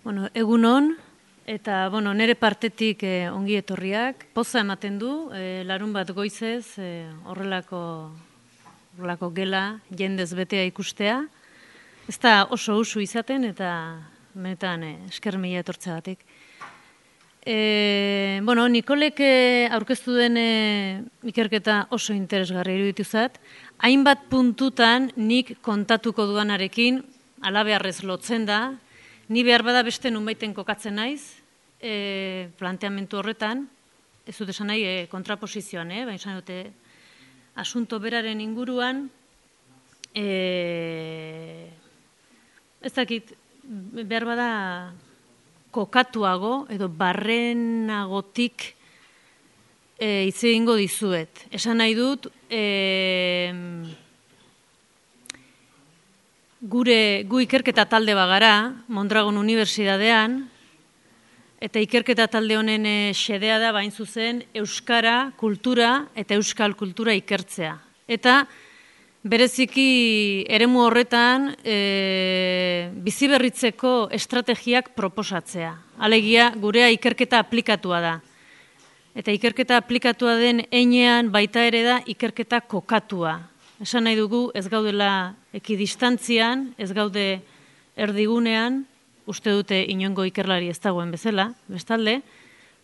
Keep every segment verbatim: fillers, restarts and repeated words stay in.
Bueno, egun on, eta bueno, nire partetik eh, ongi etorriak. Poza ematen du, eh, larun bat goizez, eh, horrelako, horrelako gela, jendez betea ikustea. Ez da oso usu izaten, eta benetan eh, esker mila etortzeagatik. E, bueno, Nikolek eh, aurkeztu den eh, ikerketa oso interesgarri iruditu zat. Hainbat puntutan nik kontatuko duanarekin, alabeharrez lotzen da, ni behar bada beste nunbaiten kokatzen naiz, e, planteamentu horretan, ez dut esan nahi e, kontraposizioan, eh? Baina esan dute, asunto beraren inguruan, e, ez dakit, behar bada kokatuago edo barrenagotik e, hitz egingo dizuet. Esan nahi dut, e, Gure, gu ikerketa talde bagara, Mondragon Unibertsitatean, eta ikerketa talde honen xedea da bain zuzen euskara, kultura eta euskal kultura ikertzea. Eta bereziki eremu horretan e, biziberritzeko estrategiak proposatzea. Alegia, gurea ikerketa aplikatua da. Eta ikerketa aplikatua den heinean baita ere da ikerketa kokatua. Esan nahi dugu ez gaudela ekidistantzian, ez gaude erdigunean, uste dute inongo ikerlari ez dagoen bezala, bestalde,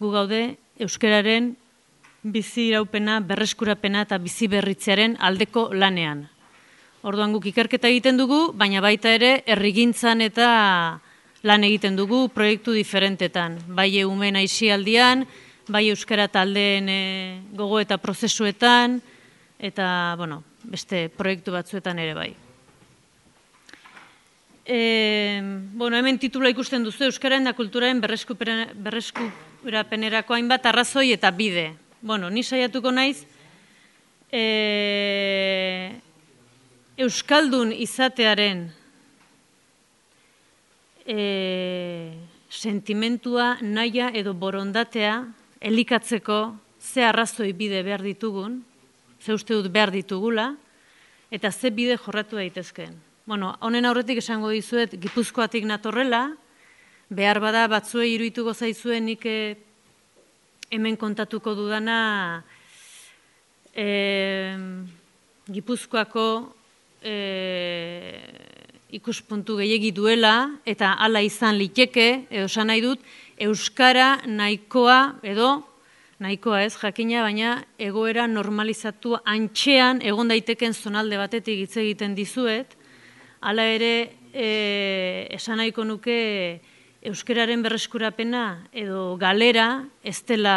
gu gaude euskararen bizi iraupena, berreskurapena eta bizi berritzearen aldeko lanean. Orduan guk ikerketa egiten dugu, baina baita ere herrigintzan eta lan egiten dugu proiektu diferentetan. Bai eumen aisialdian, bai euskara taldeen e, gogo eta prozesuetan, eta, bueno, beste proiektu batzuetan ere bai. E, bueno, hemen titula ikusten duzu, Euskararen da kulturaren berreskurapenerako hainbat arrazoi eta bide. Bueno, ni saiatuko naiz, e, Euskaldun izatearen e, sentimentua, naia edo borondatea elikatzeko ze arrazoi bide behar ditugun, ze uste dut behar ditugula, eta ze bide jorratu daitezkeen. Bueno, honen aurretik esango dizuet, Gipuzkoatik natorrela, behar bada batzuei iruituko zaizuen nik hemen kontatuko dudana e, Gipuzkoako e, ikuspuntu gehiegi duela, eta hala izan liteke, edo esan nahi dut, euskara nahikoa edo, nahikoa ez, jakina, baina egoera normalizatu antxean egon daiteken zonalde batetik hitz egiten dizuet. Hala ere, e, esan nahiko nuke euskararen berreskurapena edo galera ez dela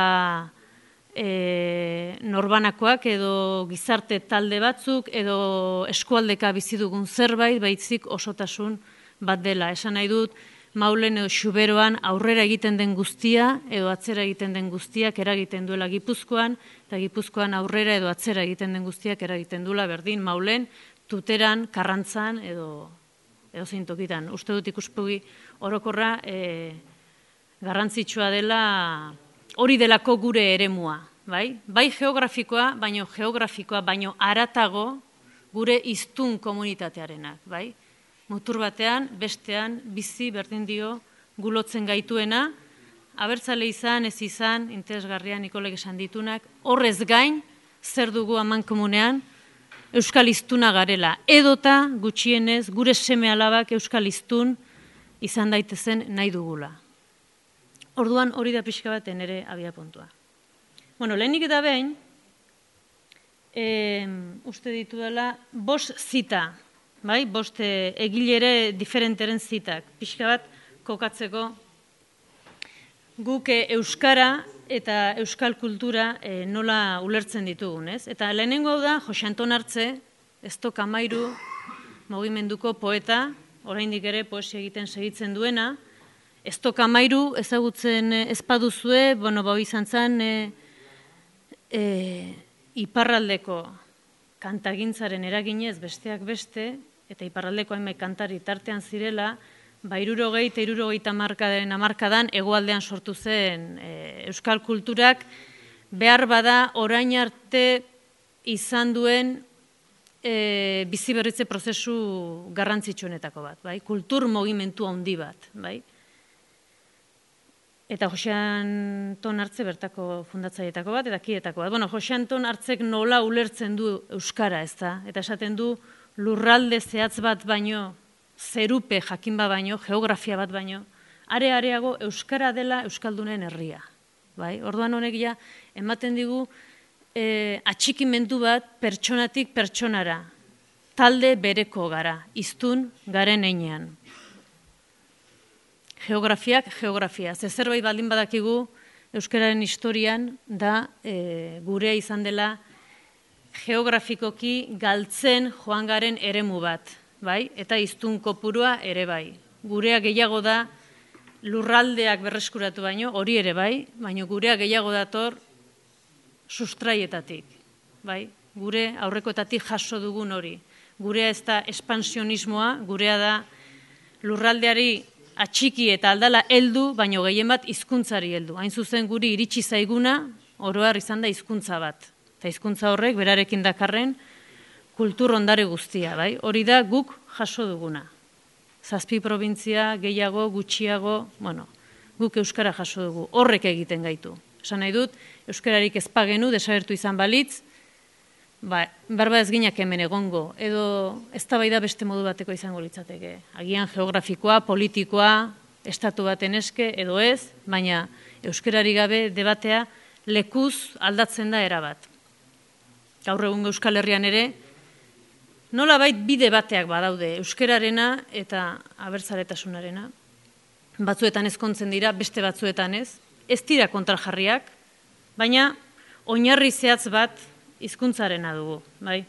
e, norbanakoak edo gizarte talde batzuk edo eskualdeka bizi dugun zerbait, baitzik osotasun bat dela. Esan nahi dut, Maulen edo Xuberoan aurrera egiten den guztia edo atzera egiten den guztiak eragiten duela Gipuzkoan, eta Gipuzkoan aurrera edo atzera egiten den guztiak eragiten duela berdin Maulen, Tuteran, Karrantzan edo, edo zeintokitan. Uste dut ikuspegi orokorra e, garrantzitsua dela hori delako gure eremua. Bai, bai geografikoa, baino geografikoa, baino haratago gure hiztun komunitatearenak. Bai? Mutur batean, bestean, bizi berdin dio gulotzen gaituena, abertzale izan, ez izan, interesgarria Nikolek esan ditunak, horrez gain, zer dugu amankomunean, euskal hiztuna garela. Edota, gutxienez, gure seme alabak euskal hiztun izan daitezen nahi dugula. Orduan hori da pixka baten ere abia puntua. Bueno, lehenik eta behin, e, uste ditu dela, bost zita, bai, bost egilere diferenteren zitak, pixka bat kokatzeko guk euskara eta euskal kultura e, nola ulertzen ditugun, ez? Eta lehenengo da, Jose Anton Artze, Eztok Amairu mugimenduko poeta, oraindik ere poesia egiten segitzen duena. Eztok Amairu ezagutzen ezpaduzue, bueno, bau izan zen e, e, iparraldeko kantagintzaren eraginez besteak beste, eta iparraldeko hainbat kantari tartean zirela, ba hirurogei eta hirurogeita hamarkadaren hamarkadan hegoaldean sortu zen e, euskal kulturak behar bada orain arte izan duen e, biziberritze prozesu garrantzitsuenetako bat, bai? Kultur mugimendu handi bat, bai? eta Jose Anton Artze bertako fundatzaileetako bat, eta kietako bat. Bueno, Jose Anton Artzek nola ulertzen du euskara, ez da? Eta esaten du lurralde zehatz bat baino, zerupe jakin bat baino, geografia bat baino, are areago euskara dela euskaldunen herria. Bai? Orduan honek ja, ematen digu e, atxikimendu bat pertsonatik pertsonara, talde bereko gara, hiztun garen heinean. Geografiak, geografia. Ze zerbait baldin badakigu euskararen historian da e, gurea izan dela geografikoki galtzen joan garen eremu bat, bai? Eta hiztun kopurua ere bai. Gurea gehiago da lurraldeak berreskuratu baino, hori ere bai, baina gurea gehiago dator sustraietatik, bai? Gure aurrekoetatik jaso dugun hori. Gurea ez da espansionismoa, gurea da lurraldeari atxiki eta aldala heldu, baino gehien bat hizkuntzari heldu. Hain zuzen guri iritsi zaiguna, oroar izan da hizkuntza bat. Eta hizkuntza horrek berarekin dakarren kultur ondare guztia, bai? Hori da guk jaso duguna. Zazpi probintzia, gehiago, gutxiago, bueno, guk euskara jaso dugu. Horrek egiten gaitu. Esan nahi dut, euskararik ezpagenu, desagertu izan balitz, ba, barba ez ginak hemen egongo, edo eztabaida beste modu bateko izango litzateke. Agian geografikoa, politikoa, estatu baten eske, edo ez, baina euskarari gabe debatea lekuz aldatzen da erabat. Gaur egungo Euskal Herrian ere, nolabait bide bateak badaude euskararena eta abertzaletasunarena. Batzuetan ezkontzen dira, beste batzuetan ez. Ez dira kontrajarriak, baina oinarri zehatz bat hizkuntzarena dugu, bai.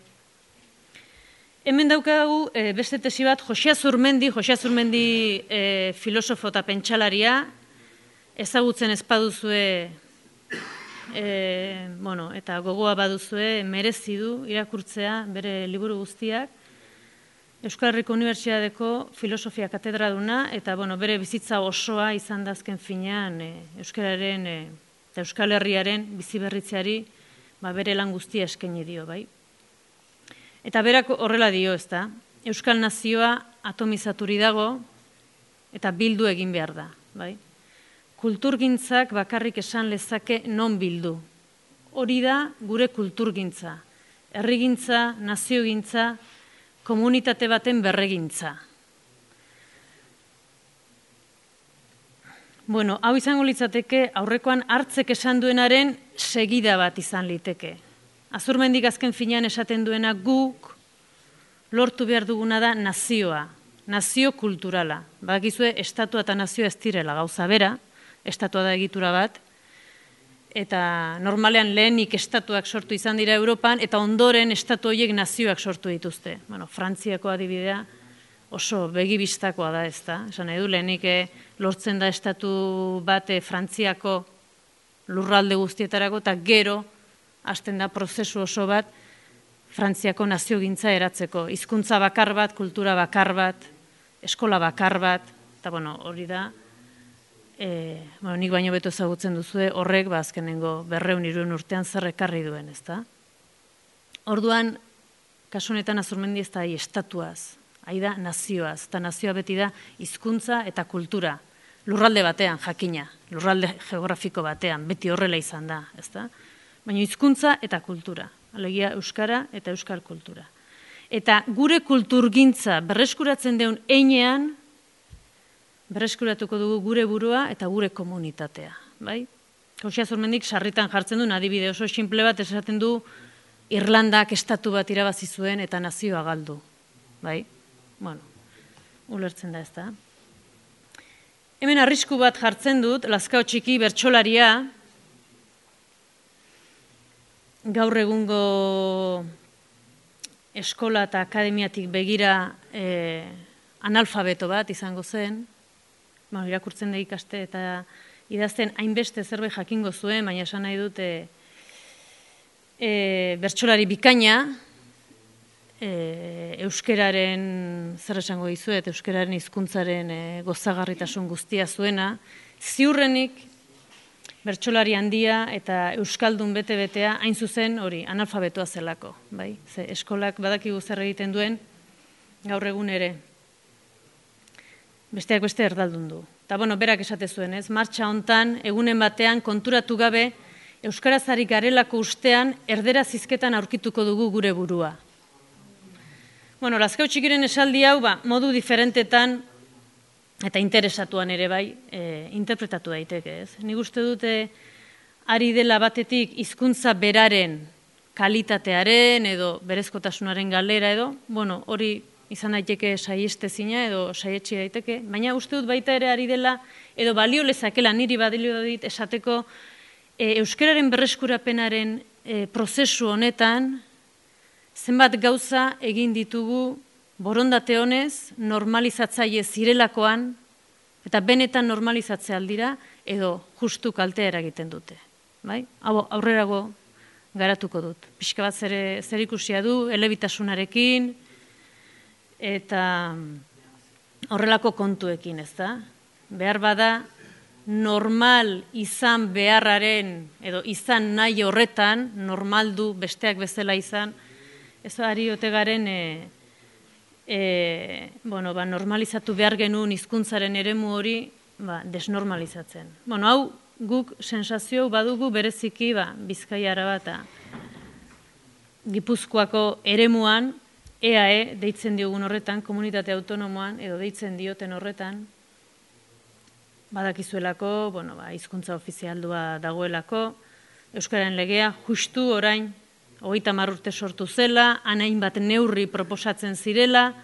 Hemen daukagu e, beste tesi bat, Jose Azurmendi, Jose Azurmendi e, filosofo eta pentsalaria, ezagutzen ez baduzue, e, bueno, eta gogoa baduzue, merezi du irakurtzea bere liburu guztiak, Euskal Herriko Unibertsitateko filosofia katedraduna, eta bueno, bere bizitza osoa izan da azken finean e, euskararen e, eta Euskal Herriaren biziberritzeari ba, bere lan guztia eskaini dio, bai. Eta berak horrela dio, ez da, Euskal Nazioa atomizaturi dago eta bildu egin behar da, bai. Kulturgintzak bakarrik esan lezake non bildu. Hori da gure kulturgintza, herrigintza, naziogintza, komunitate baten berregintza. Bueno, hau izango litzateke aurrekoan Hartzek esan duenaren segida bat izan liteke. Azurmendik azken finean esaten duena guk lortu behar duguna da nazioa, nazio kulturala. Badakizue, estatua eta nazioa ez direla gauza bera, estatua da egitura bat, eta normalean lehenik estatuak sortu izan dira Europan, eta ondoren estatu horiek nazioak sortu dituzte. Bueno, Frantziako adibidea oso begibistakoa da, ez da. Esan nahi du, lehenik lortzen da estatu bat Frantziako lurralde guztietarako, eta gero hasten da prozesu oso bat Frantziako naziogintza eratzeko. Hizkuntza bakar bat, kultura bakar bat, eskola bakar bat, eta bueno, hori da, E, bueno, nik baino beto ezagutzen duzue, horrek ba, azkenengo berreun iruen urtean zer ekarri duen, ez da? Orduan, kasu honetan Azurmendi ez da hai estatuaz, hai da nazioaz, eta nazioa beti da hizkuntza eta kultura. Lurralde batean, jakina, lurralde geografiko batean, beti horrela izan da, ez da? Baina hizkuntza eta kultura, alegia euskara eta euskal kultura. Eta gure kulturgintza berreskuratzen deun heinean, berreskuratuko dugu gure burua eta gure komunitatea, bai? Jose Azurmendik sarritan jartzen duen adibide oso sinple bat esaten du Irlandak estatu bat irabazi zuen eta nazioa galdu, bai? Bueno, ulertzen da ez da. Hemen arrisku bat jartzen dut, Lazkao Txiki bertsolaria, gaur egungo eskola eta akademiatik begira eh, analfabeto bat izango zen, bueno, irakurtzen da ikaste eta idazten hainbeste zerbait jakingo zuen, baina esan nahi dut e, e, bertsolari bikaina, e, euskeraren, zer esango dizuet, euskeraren hizkuntzaren e, gozagarritasun guztia zuena, ziurrenik bertsolari handia eta euskaldun bete-betea hain zuzen hori analfabetoa zelako, bai? Ze eskolak badakigu zer egiten duen gaur egun ere. Besteak beste erdaldun du. eta bueno, berak esate zuen, ez, martxa hontan, egunen batean, konturatu gabe, euskarazari garelako ustean, erdera zizketan aurkituko dugu gure burua. Bueno, Lazkao Txikiren esaldi hau, ba, modu diferentetan, eta interesatuan ere bai, e, interpretatu daiteke, ez. Nik uste dute, ari dela batetik hizkuntza beraren kalitatearen edo berezkotasunaren galera edo, bueno, hori izan daiteke saiestezina edo saietsi daiteke, baina uste dut baita ere ari dela edo balio lezakela niri badilio dit esateko e, euskararen berreskurapenaren e, prozesu honetan zenbat gauza egin ditugu borondate honez normalizatzaile zirelakoan eta benetan normalizatzea aldira edo justu kaltea eragiten dute. Bai? Hau aurrerago garatuko dut. Pixka bat zer ikusia du, elebitasunarekin, eta horrelako kontuekin, ez da? Behar bada, normal izan beharraren, edo izan nahi horretan, normaldu besteak bezala izan, ez ari ote garen, e, e, bueno, ba, normalizatu behar genuen hizkuntzaren eremu hori, ba, desnormalizatzen. Bueno, hau, guk sensazio badugu bereziki ba, Bizkaia, Araba eta Gipuzkoako eremuan, E A E deitzen diogun horretan, komunitate autonomoan, edo deitzen dioten horretan, badakizuelako, bueno, ba, hizkuntza ofizialdua dagoelako, Euskararen legea justu orain, hogeita hamar urte sortu zela, anain bat neurri proposatzen zirela,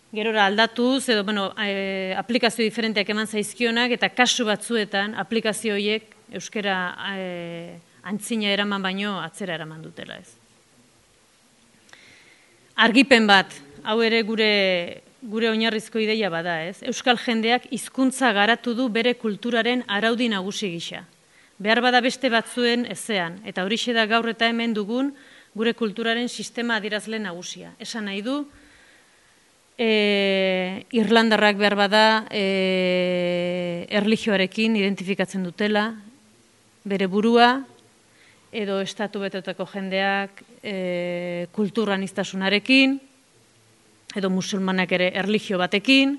gerora aldatuz, edo, bueno, e, aplikazio diferenteak eman zaizkionak, eta kasu batzuetan aplikazio horiek euskara e, antzina eraman baino atzera eraman dutela ez. Argipen bat, hau ere gure, gure oinarrizko ideia bada ez. Euskal jendeak hizkuntza garatu du bere kulturaren araudi nagusi gisa. Behar bada beste batzuen ezean, eta horixe da gaur eta hemen dugun gure kulturaren sistema adierazle nagusia. Esan nahi du, E, Irlandarrak behar bada e, erlijioarekin identifikatzen dutela, bere burua, edo estatu betetako jendeak e, kulturan iztasunarekin, edo musulmanak ere erlijio batekin,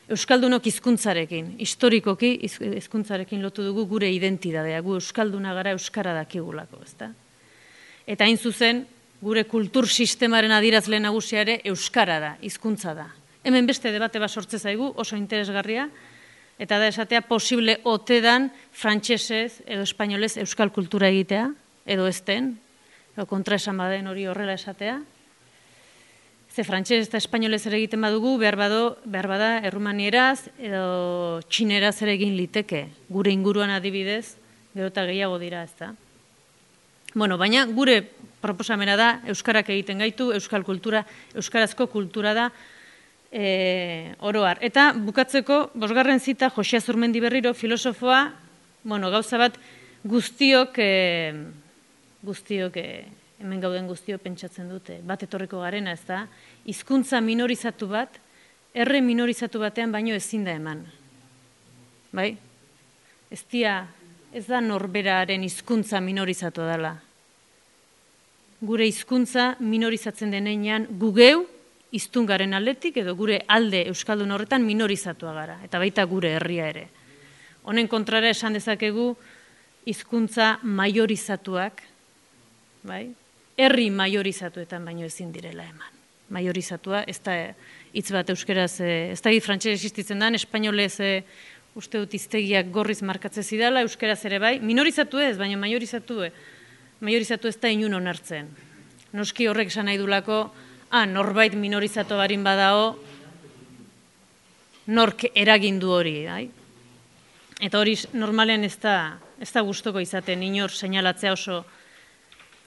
euskaldunok hizkuntzarekin, historikoki hizkuntzarekin lotu dugu gure identidadea, gu euskalduna gara euskara dakigulako, ezta? Eta hain zuzen, gure kultur sistemaren adierazle nagusia ere euskara da, hizkuntza da. Hemen beste debate bat sortze zaigu, oso interesgarria, eta da esatea posible ote dan frantsesez edo espainolez euskal kultura egitea, edo ezten, edo kontraesan baden hori horrela esatea. Ze frantses eta espainolez ere egiten badugu, behar, bado, behar bada errumanieraz edo txineraz ere egin liteke, gure inguruan adibidez, gero eta gehiago dira, ez da. Bueno, baina gure proposamena da, euskarak egiten gaitu, euskal kultura, euskarazko kultura da e, oroar. Eta bukatzeko, bosgarren zita, Josia Zurmendi Berriro, filosofoa, bueno, gauza bat guztiok, e, guztiok, e, hemen gauden guztiok pentsatzen dute, bat etorriko garena, ez da, hizkuntza minorizatu bat, erre minorizatu batean baino ezin da eman. Bai? Ez dia, ez da norberaren hizkuntza minorizatu dela. Gure hizkuntza minorizatzen denean gugeu hiztungaren aldetik edo gure alde euskaldun horretan minorizatua gara, eta baita gure herria ere. Honen kontrara esan dezakegu hizkuntza majorizatuak, bai? Herri majorizatuetan baino ezin direla eman. Majorizatua, ez da hitz bat euskeraz, ez da hitz frantses existitzen dan, espainolez uste dut hiztegiak gorriz markatzen zidala, euskeraz ere bai, minorizatu ez, baina majorizatu, majorizatu ez da inun onartzen. Noski horrek esan nahi dulako, ah, norbait minorizatu barin badao, nork eragindu hori, bai? Eta hori normalen ez da, ez da gustoko izaten, inor seinalatzea oso,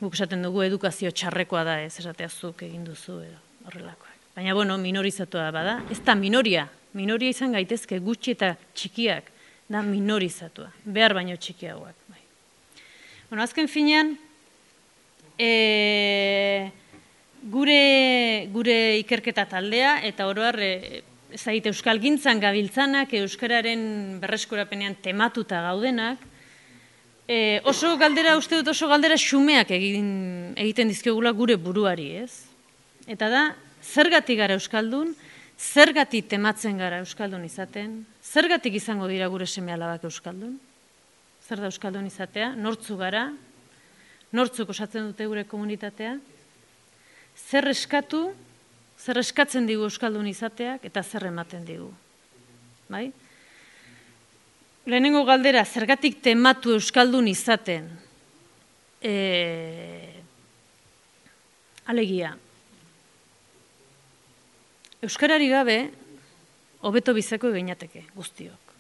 guk esaten dugu edukazio txarrekoa da, ez esatea zuk egin duzu, edo horrelakoak. Baina, bueno, minorizatua bada, ez da minoria, minoria izan gaitezke gutxi eta txikiak, da minorizatua, behar baino txikiagoak. Bai. Bueno, azken finean, e, gure, gure ikerketa taldea, eta oroar, e, ez egite euskal gintzan gabiltzanak, euskararen berreskurapenean tematuta gaudenak, e, oso galdera, uste dut oso galdera xumeak egin, egiten dizkiogula gure buruari, ez? Eta da, zergatik gara euskaldun, Zergatik tematzen gara euskaldun izaten? Zergatik izango dira gure seme-alabak euskaldun? Zer da euskaldun izatea? Nortzu gara? Nortzuk osatzen dute gure komunitatea? Zer eskatu, zer eskatzen digu euskaldun izateak eta zer ematen digu? Bai? Lehenengo galdera, zergatik tematu euskaldun izaten? E... Alegia. Euskarari gabe, hobeto bizeko eginateke, guztiok.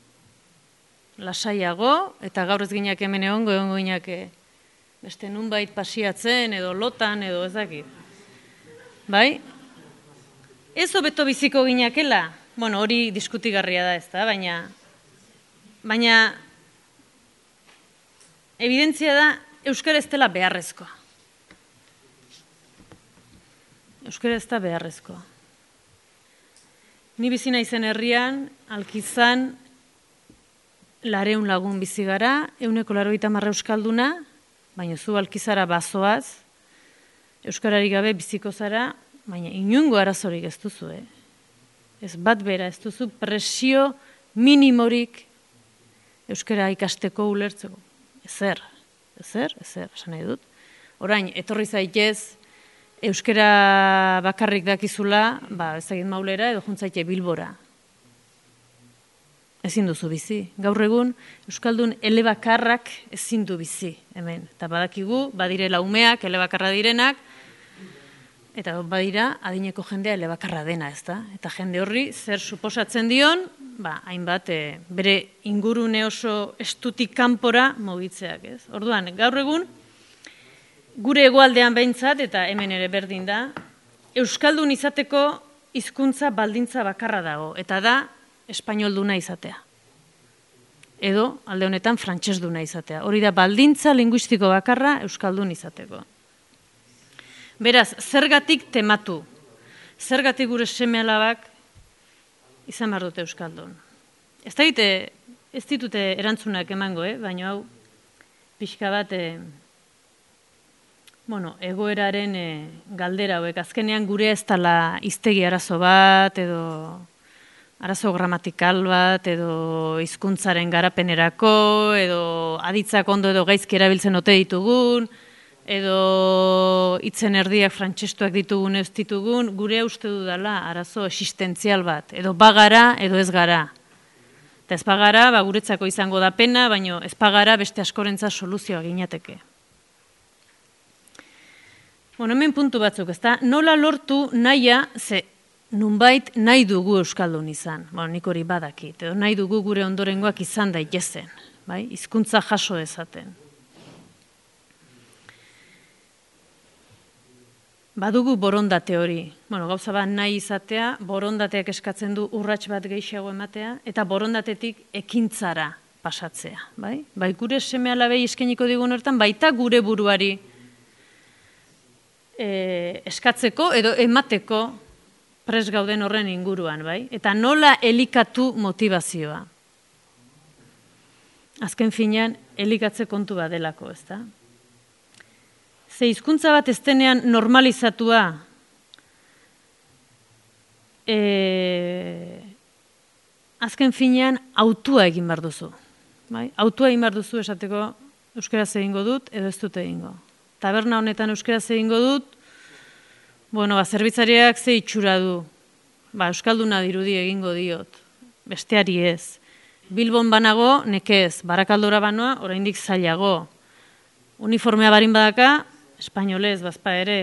Lasaiago, eta gaur ez ginak hemen egongo, egongo ginak beste nunbait pasiatzen, edo lotan, edo ez dakit. Bai? Ez hobeto biziko ginakela, bueno, hori diskutigarria da ez da, baina, baina, evidentzia da, euskara ez dela beharrezkoa. Euskara ez da beharrezkoa. Ni bizi naizen herrian, Alkizan, lareun lagun bizi gara, ehuneko laurogeita hamar euskalduna, baina zu Alkizara bazoaz, euskarari gabe biziko zara, baina inungo arazorik ez duzu, eh? Ez bat bera, ez duzu presio minimorik euskara ikasteko ulertzeko. Ezer, ezer, ezer, esan nahi dut. Orain, etorri zaitez, euskara bakarrik dakizula, ba, ez egin maulera edo juntzaite Bilbora. Ezin duzu bizi. Gaur egun, euskaldun elebakarrak ezin du bizi, hemen. Eta badakigu, badirela umeak, elebakarra direnak, eta badira, adineko jendea elebakarra dena, ez da? Eta jende horri, zer suposatzen dion, ba, hainbat, e, bere ingurune oso estutik kanpora mugitzeak, ez? Orduan, gaur egun, gure hegoaldean behintzat, eta hemen ere berdin da, euskaldun izateko hizkuntza baldintza bakarra dago, eta da espainolduna izatea. Edo, alde honetan, frantsesduna izatea. Hori da baldintza linguistiko bakarra euskaldun izateko. Beraz, zergatik tematu, zergatik gure seme-alabak izan behar dute euskaldun. Ez da egite, ez ditute erantzunak emango, eh? Baina hau, pixka bat, eh, bueno, egoeraren eh, galdera hauek. Azkenean gure ez dela hiztegi arazo bat, edo arazo gramatikal bat, edo hizkuntzaren garapenerako, edo aditzak ondo edo gaizki erabiltzen ote ditugun, edo hitzen erdiak frantsestuak ditugun ez ditugun, gure uste dudala arazo existentzial bat, edo bagara, edo ez gara. Eta ez bagara, ba, guretzako izango da pena, baina ez bagara beste askorentza soluzioa ginateke. Bueno, hemen puntu batzuk, ez da, nola lortu nahia, ze nunbait nahi dugu euskaldun izan, bueno, nik hori badakit, edo nahi dugu gure ondorengoak izan daitezen, bai, hizkuntza jaso dezaten. Badugu borondate hori, bueno, gauza bat nahi izatea, borondateak eskatzen du urrats bat gehiago ematea, eta borondatetik ekintzara pasatzea, bai? Bai, gure seme-alabei eskainiko digun hortan, baita gure buruari e, eskatzeko edo emateko pres gauden horren inguruan, bai? Eta nola elikatu motivazioa. Azken finean, elikatze kontu badelako, ez da? Ze hizkuntza bat ez denean normalizatua, e, azken finean autua egin behar duzu. Bai? Autua egin behar duzu esateko euskaraz egingo dut edo ez dut egingo. Taberna honetan euskaraz egingo dut, bueno, ba, zerbitzariak ze itxura du. Ba, euskalduna dirudi egingo diot, besteari ez. Bilbon banago, nekez, Barakaldora banoa, oraindik zailago. Uniformea barin badaka, espainolez, bazpa ere.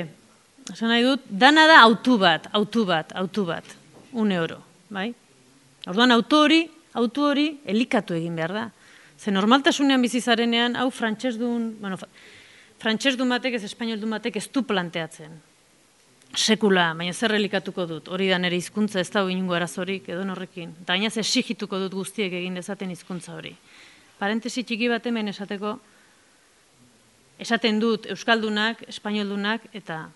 Esan nahi dut, dana da autu bat, autu bat, autu bat, un euro, bai? Orduan, auto hori, autu hori, elikatu egin behar da. Ze normaltasunean bizizarenean, hau frantsesdun, bueno, frantsesdun batek, ez espainoldun batek ez du planteatzen. Sekula, baina zer elikatuko dut, hori da nire hizkuntza ez dago inungo arazorik, edo norrekin. Eta baina exigituko dut guztiek egin dezaten hizkuntza hori. Parentesi txiki bat hemen esateko, esaten dut euskaldunak, espainoldunak eta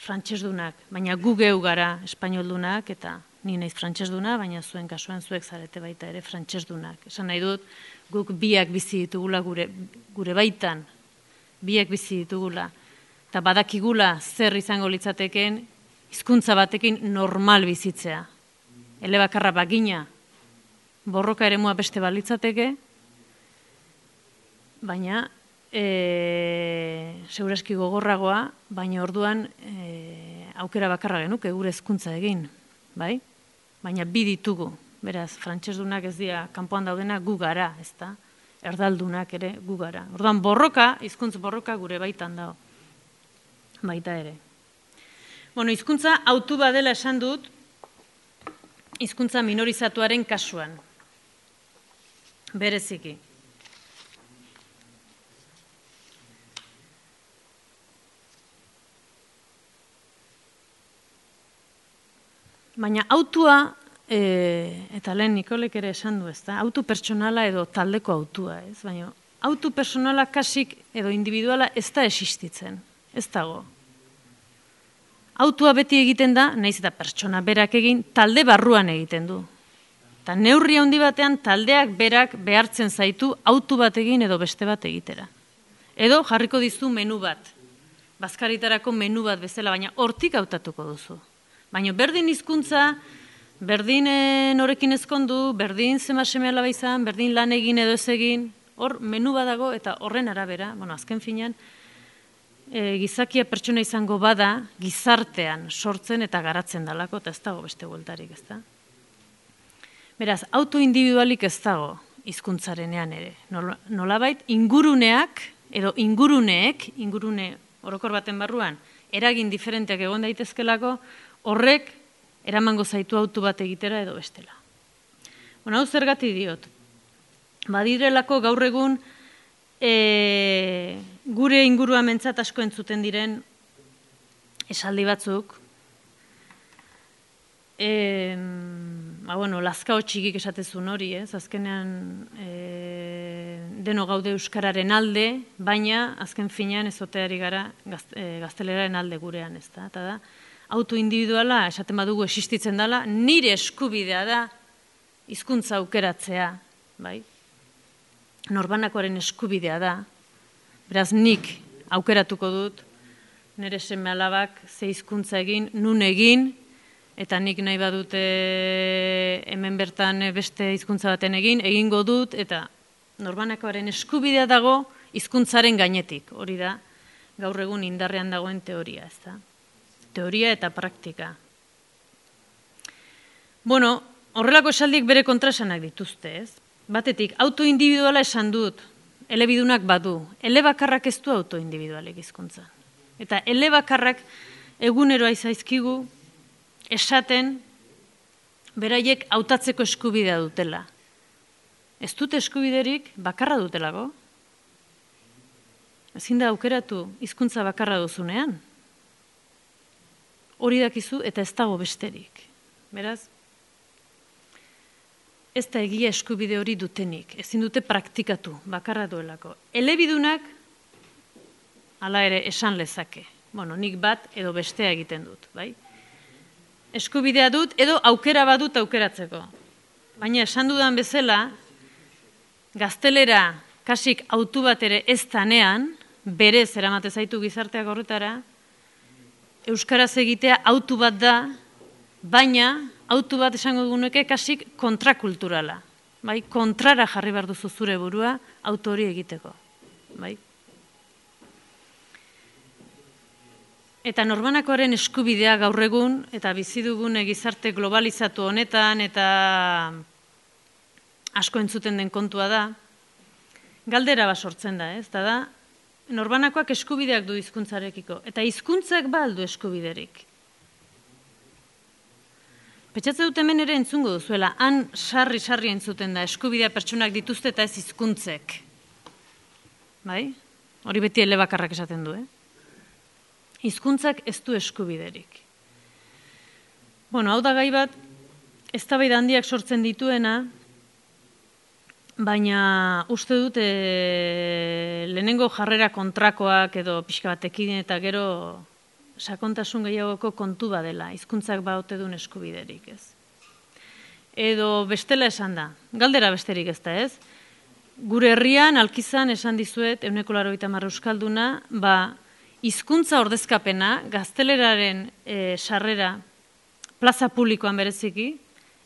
frantsesdunak, baina gu geu gara espainoldunak eta ni naiz frantsesduna, baina zuen kasuan zuek zarete baita ere frantsesdunak. Esan nahi dut, guk biak bizi ditugula gure, gure baitan, biak bizi ditugula, eta badakigula zer izango litzateken hizkuntza batekin normal bizitzea. elebakarra bagina, borroka eremua beste balitzateke, baina e, segurazki gogorragoa, baina orduan e, aukera bakarra genuke gure hezkuntza egin, bai? Baina bi ditugu, beraz, frantsesdunak ez dira kanpoan daudena gu gara, ezta? Erdaldunak ere gu gara. Orduan borroka, hizkuntz borroka gure baitan dago. Baita ere. Bueno, hizkuntza hautu badela esan dut, hizkuntza minorizatuaren kasuan. Bereziki. Baina autua, e, eta lehen Nikolek ere esan du, ezta? Autu pertsonala edo taldeko autua, ez? Baina autu pertsonala kasik edo individuala ez da existitzen, ez dago. Autua beti egiten da, nahiz eta pertsona berak egin, talde barruan egiten du. Eta neurri handi batean taldeak berak behartzen zaitu autu bat egin edo beste bat egitera. Edo jarriko dizu menu bat, bazkaritarako menu bat bezala, baina hortik hautatuko duzu. Baina berdin hizkuntza, berdin norekin ezkondu, berdin zema seme alaba izan, berdin lan egin edo ez egin, hor menu badago eta horren arabera, bueno, azken finean, e, gizakia pertsona izango bada, gizartean sortzen eta garatzen dalako, eta ez dago beste bueltarik, ez da? Beraz, autoindividualik ez dago hizkuntzarenean ere. Nolabait, inguruneak, edo inguruneek, ingurune orokor baten barruan, eragin diferenteak egon daitezkelako, horrek eramango zaitu autu bat egitera edo bestela. Bueno, hau zergatik diot. Badirelako gaur egun e, gure ingurua mentzat asko entzuten diren esaldi batzuk, e, ba, bueno, lazkao txikik esatezun hori, ez? Azkenean e, deno gaude euskararen alde, baina azken finean ezoteari gara gazte, e, gazteleraren alde gurean, ez da? Eta da, autoindividuala, esaten badugu existitzen dela, nire eskubidea da hizkuntza aukeratzea, bai? Norbanakoaren eskubidea da, beraz nik aukeratuko dut, nire seme alabak ze hizkuntza egin, nun egin, eta nik nahi badute hemen bertan beste hizkuntza baten egin, egingo dut, eta norbanakoaren eskubidea dago hizkuntzaren gainetik, hori da, gaur egun indarrean dagoen teoria, ez da? Teoria eta praktika. Bueno, horrelako esaldiek bere kontraesanak dituzte, ez? Batetik, autoindividuala esan dut, elebidunak badu, elebakarrak ez du autoindividualek hizkuntzan. Eta elebakarrak egunero zaizkigu esaten beraiek hautatzeko eskubidea dutela. Ez dute eskubiderik bakarra dutelako. Ezin da aukeratu hizkuntza bakarra duzunean. Hori dakizu eta ez dago besterik. Beraz, ez da egia eskubide hori dutenik. Ezin dute praktikatu, bakarra duelako. Elebidunak, hala ere, esan lezake. Bueno, nik bat edo bestea egiten dut, bai? Eskubidea dut edo aukera badut aukeratzeko. Baina esan dudan bezala, gaztelera kasik autu bat ere ez tanean, berez eramate zaitu gizarteak horretara, euskaraz egitea autu bat da, baina autu bat esango duguneke kasik kontrakulturala. Bai? Kontrara jarri behar duzu zure burua auto hori egiteko. Bai? Eta norbanakoaren eskubidea gaur egun, eta bizi dugun gizarte globalizatu honetan, eta asko entzuten den kontua da, galdera bat sortzen da, ez? Eta da, norbanakoak eskubideak du hizkuntzarekiko, eta hizkuntzak ba aldu eskubiderik. Petxatze dut hemen ere entzungo duzuela, han sarri-sarri entzuten da, eskubidea pertsonak dituzte eta ez hizkuntzek. Bai? Hori beti elebakarrak esaten du, eh? Hizkuntzak ez du eskubiderik. Bueno, hau da gai bat, eztabaida handiak sortzen dituena, baina uste dut e, lehenengo jarrera kontrakoak edo pixka batekin eta gero sakontasun gehiagoko kontu badela, hizkuntzak baote duen eskubiderik, ez. Edo bestela esan da, galdera besterik ez da, ez. Gure herrian, alkizan esan dizuet, ehuneko laurogeita hamar euskalduna, ba, hizkuntza ordezkapena, gazteleraren e, sarrera, plaza publikoan bereziki,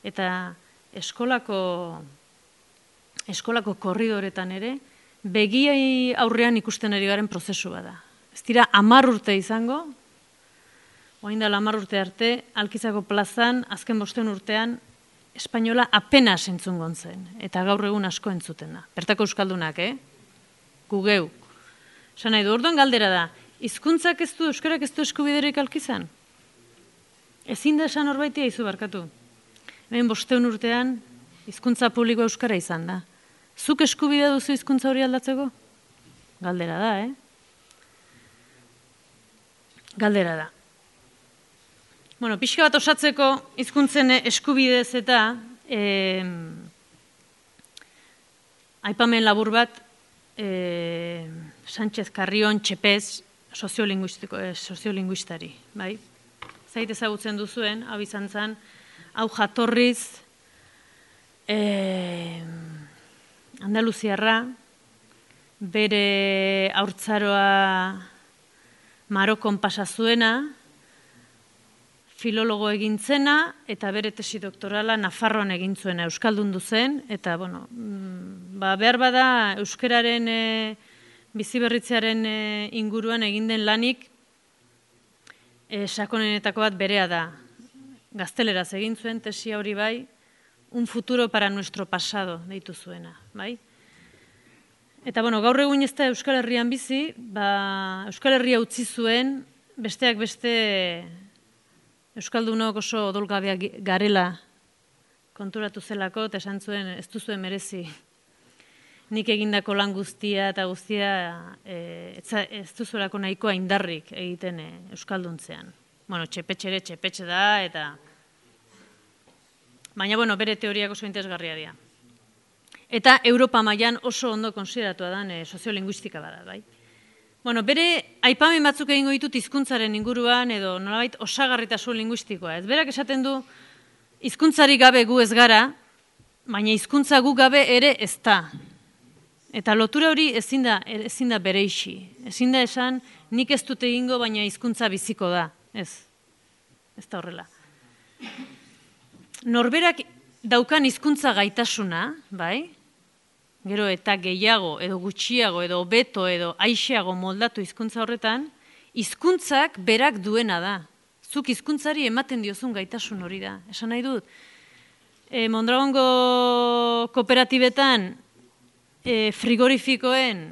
Eta eskolako, eskolako korridoretan ere, begiai aurrean ikusten ari garen prozesu bada. Ez dira hamar urte izango, orain dela hamar urte arte, Alkizako plazan, azken bosten urtean, espainola apenas entzungon zen, eta gaur egun asko entzuten da. Bertako euskaldunak, eh? Gu geu. Esan nahi du, orduan galdera da, hizkuntzak ez du, euskarak ez du eskubiderik Alkizan? Ezin da esan horbaitia izu barkatu. Hemen bosteun urtean, hizkuntza publikoa euskara izan da. Zuk eskubidea duzu hizkuntza hori aldatzeko? Galdera da, eh? Galdera da. Bueno, pixka bat osatzeko hizkuntzen eskubidez eta eh, aipamen labur bat eh, Sánchez Carrion Txepez soziolinguistiko, eh, soziolinguistari, bai? Zait ezagutzen duzuen, hau izan zen, hau jatorriz eh, Andaluziarra, bere haurtzaroa Marokon pasa zuena, filologo egin zena, eta bere tesi doktorala Nafarroan egin zuena, euskaldundu zen, eta, bueno, ba, behar bada euskararen e, biziberritzearen e, inguruan egin den lanik e, sakonenetako bat berea da. Gazteleraz egin zuen tesi hori bai, un futuro para nuestro pasado, deitu zuena, bai? Eta, bueno, gaur egun ez da Euskal Herrian bizi, ba, Euskal Herria utzi zuen, besteak beste euskaldunok oso odolgabeak garela konturatu zelako, eta esan zuen ez duzuen merezi. Nik egindako lan guztia eta guztia e, ez duzuelako nahikoa indarrik egiten e, euskalduntzean. Bueno, txepetxe ere txepetxe da, eta... Baina, bueno, bere teoriak oso interesgarria dira. Eta Europa mailan oso ondo konsideratua da e, soziolinguistika bada, bai? Bueno, bere aipamen batzuk egingo ditut hizkuntzaren inguruan edo nolabait osagarritasun linguistikoa. Ez berak esaten du hizkuntzari gabe gu ez gara, baina hizkuntza gu gabe ere ez da. Eta lotura hori ezin da, ezin da bereixi. Ezin da esan nik ez dut egingo baina hizkuntza biziko da. Ez. Ez da horrela. Norberak daukan hizkuntza gaitasuna, bai? Gero eta gehiago, edo gutxiago, edo beto, edo aixeago moldatu hizkuntza horretan, hizkuntzak berak duena da. Zuk hizkuntzari ematen diozun gaitasun hori da. Esan nahi dut, e, Mondragongo kooperatibetan e, frigorifikoen,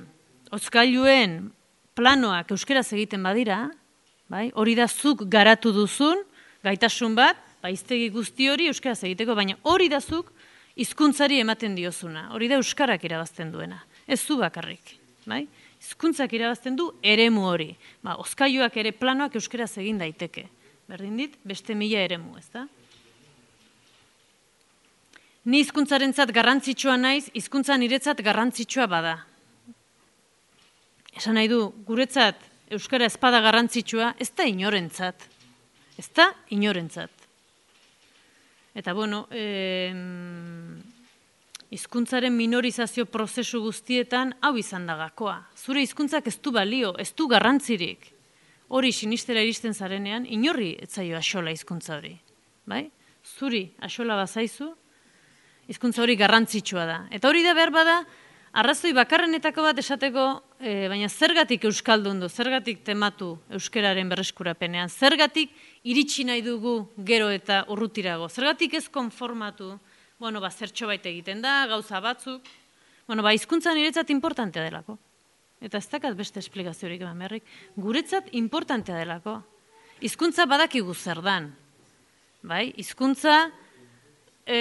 hozkailuen planoak euskeraz egiten badira, bai? Hori da zuk garatu duzun gaitasun bat, baiztegi guzti hori euskeraz egiteko, baina hori da zuk hizkuntzari ematen diozuna, hori da euskarak irabazten duena, ez zu bakarrik, bai? Hizkuntzak irabazten du eremu hori, ba, hozkailuak ere planoak euskaraz egin daiteke, berdin dit, beste mila eremu, ez da? Ni hizkuntzarentzat garrantzitsua naiz, hizkuntza niretzat garrantzitsua bada. Esan nahi du, guretzat euskara ezpada garrantzitsua, ez da inorentzat, ez da inorentzat. Eta, bueno, hizkuntzaren minorizazio prozesu guztietan hau izan da gakoa. Zure hizkuntzak ez du balio, ez du garrantzirik. Hori sinistera iristen zarenean, inorri ez zaio axola hizkuntza hori. Bai? Zuri axola bazaizu, hizkuntza hori garrantzitsua da. Eta hori da behar bada, arrazoi bakarrenetako bat esateko, e, baina zergatik euskaldundu, zergatik tematu euskeraren berreskurapenean, zergatik iritsi nahi dugu gero eta urrutirago, zergatik ez konformatu, bueno, ba, zertxo bait egiten da, gauza batzuk, bueno, ba, hizkuntza niretzat importantea delako. Eta ez dakat beste esplikaziorik eman berrik, guretzat importantea delako. Hizkuntza badakigu zer dan, bai, hizkuntza, e,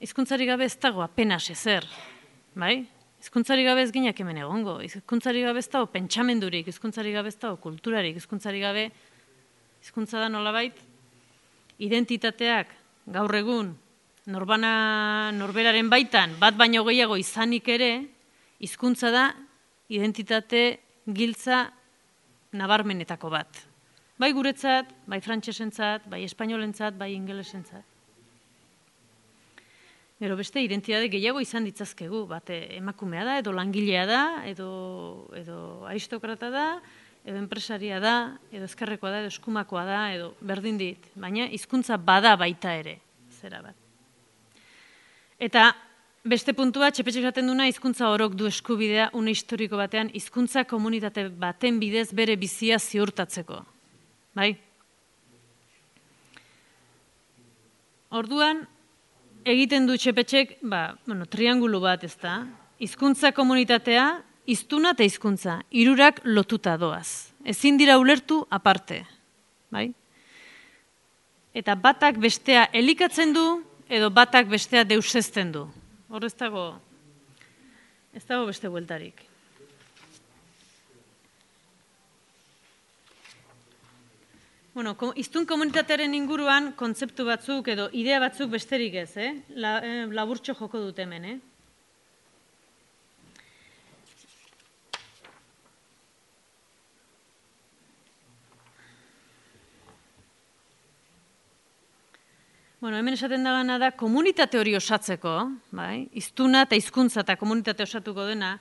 hizkuntzari gabe ez dago apenas ezer, bai? Hizkuntzari gabe ez ginak hemen egongo, hizkuntzari gabe ez dago pentsamendurik, hizkuntzari gabe ez dago kulturarik, hizkuntzari gabe, hizkuntza da nolabait, identitateak gaur egun norbana norberaren baitan, bat baino gehiago izanik ere, hizkuntza da identitate giltza nabarmenetako bat. Bai guretzat, bai frantsesentzat, bai espainolentzat, bai ingelesentzat. Gero beste identitate gehiago izan ditzazkegu, bat emakumea da, edo langilea da, edo, edo aristokrata da, edo enpresaria da, edo ezkerrekoa da, edo eskumakoa da, edo berdin dit. Baina hizkuntza bada baita ere. zera bat. Eta beste puntua, Txepetxek esaten duna, hizkuntza orok du eskubidea une historiko batean, hizkuntza komunitate baten bidez bere bizia ziurtatzeko. Bai? Orduan, egiten du Txepetxek, ba, bueno, triangulu bat ez da, hizkuntza komunitatea, hiztuna eta hizkuntza, hirurak lotuta doaz. Ezin dira ulertu aparte. Bai? Eta batak bestea elikatzen du, edo batak bestea deusezten du. Hor ez dago, ez dago beste bueltarik. Bueno, hiztun komunitatearen inguruan kontzeptu batzuk edo idea batzuk besterik ez, eh? La, eh, laburtxo joko dut hemen, eh? Bueno, hemen esaten dagana da, komunitate hori osatzeko, bai? Hiztuna eta hizkuntza eta komunitate osatuko dena,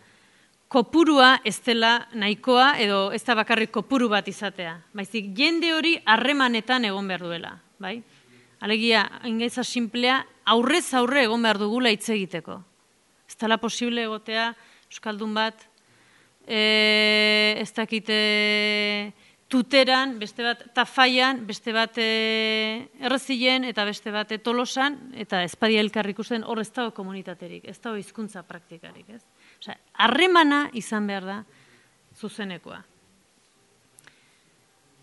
kopurua ez dela nahikoa edo ez da bakarrik kopuru bat izatea. Baizik, jende hori harremanetan egon behar duela, bai? Alegia, ingaitza simplea, aurrez aurre egon behar dugula hitz egiteko. Ez dela posible egotea, euskaldun bat, e, ez dakite tuteran, beste bat tafaian, beste bat e, errezilen, eta beste bat tolosan, eta ezpadia elkar ikusten hor ez dago komunitaterik, ez dago hizkuntza praktikarik, ez? Osea, harremana izan behar da zuzenekoa.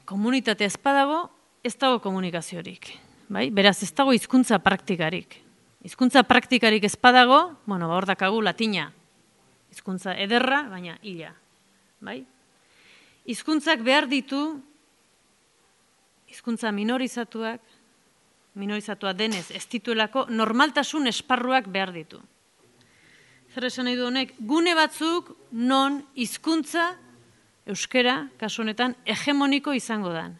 Komunitatea ez badago, ez dago komunikaziorik. Bai? Beraz, ez dago hizkuntza praktikarik. Hizkuntza praktikarik ez badago, bueno, hor dakagu latina. Hizkuntza ederra, baina hila. Bai? Hizkuntzak behar ditu, hizkuntza minorizatuak, minorizatua denez, ez dituelako normaltasun esparruak behar ditu. Zer esan nahi du honek, gune batzuk non hizkuntza euskera, kasu honetan, hegemoniko izango dan.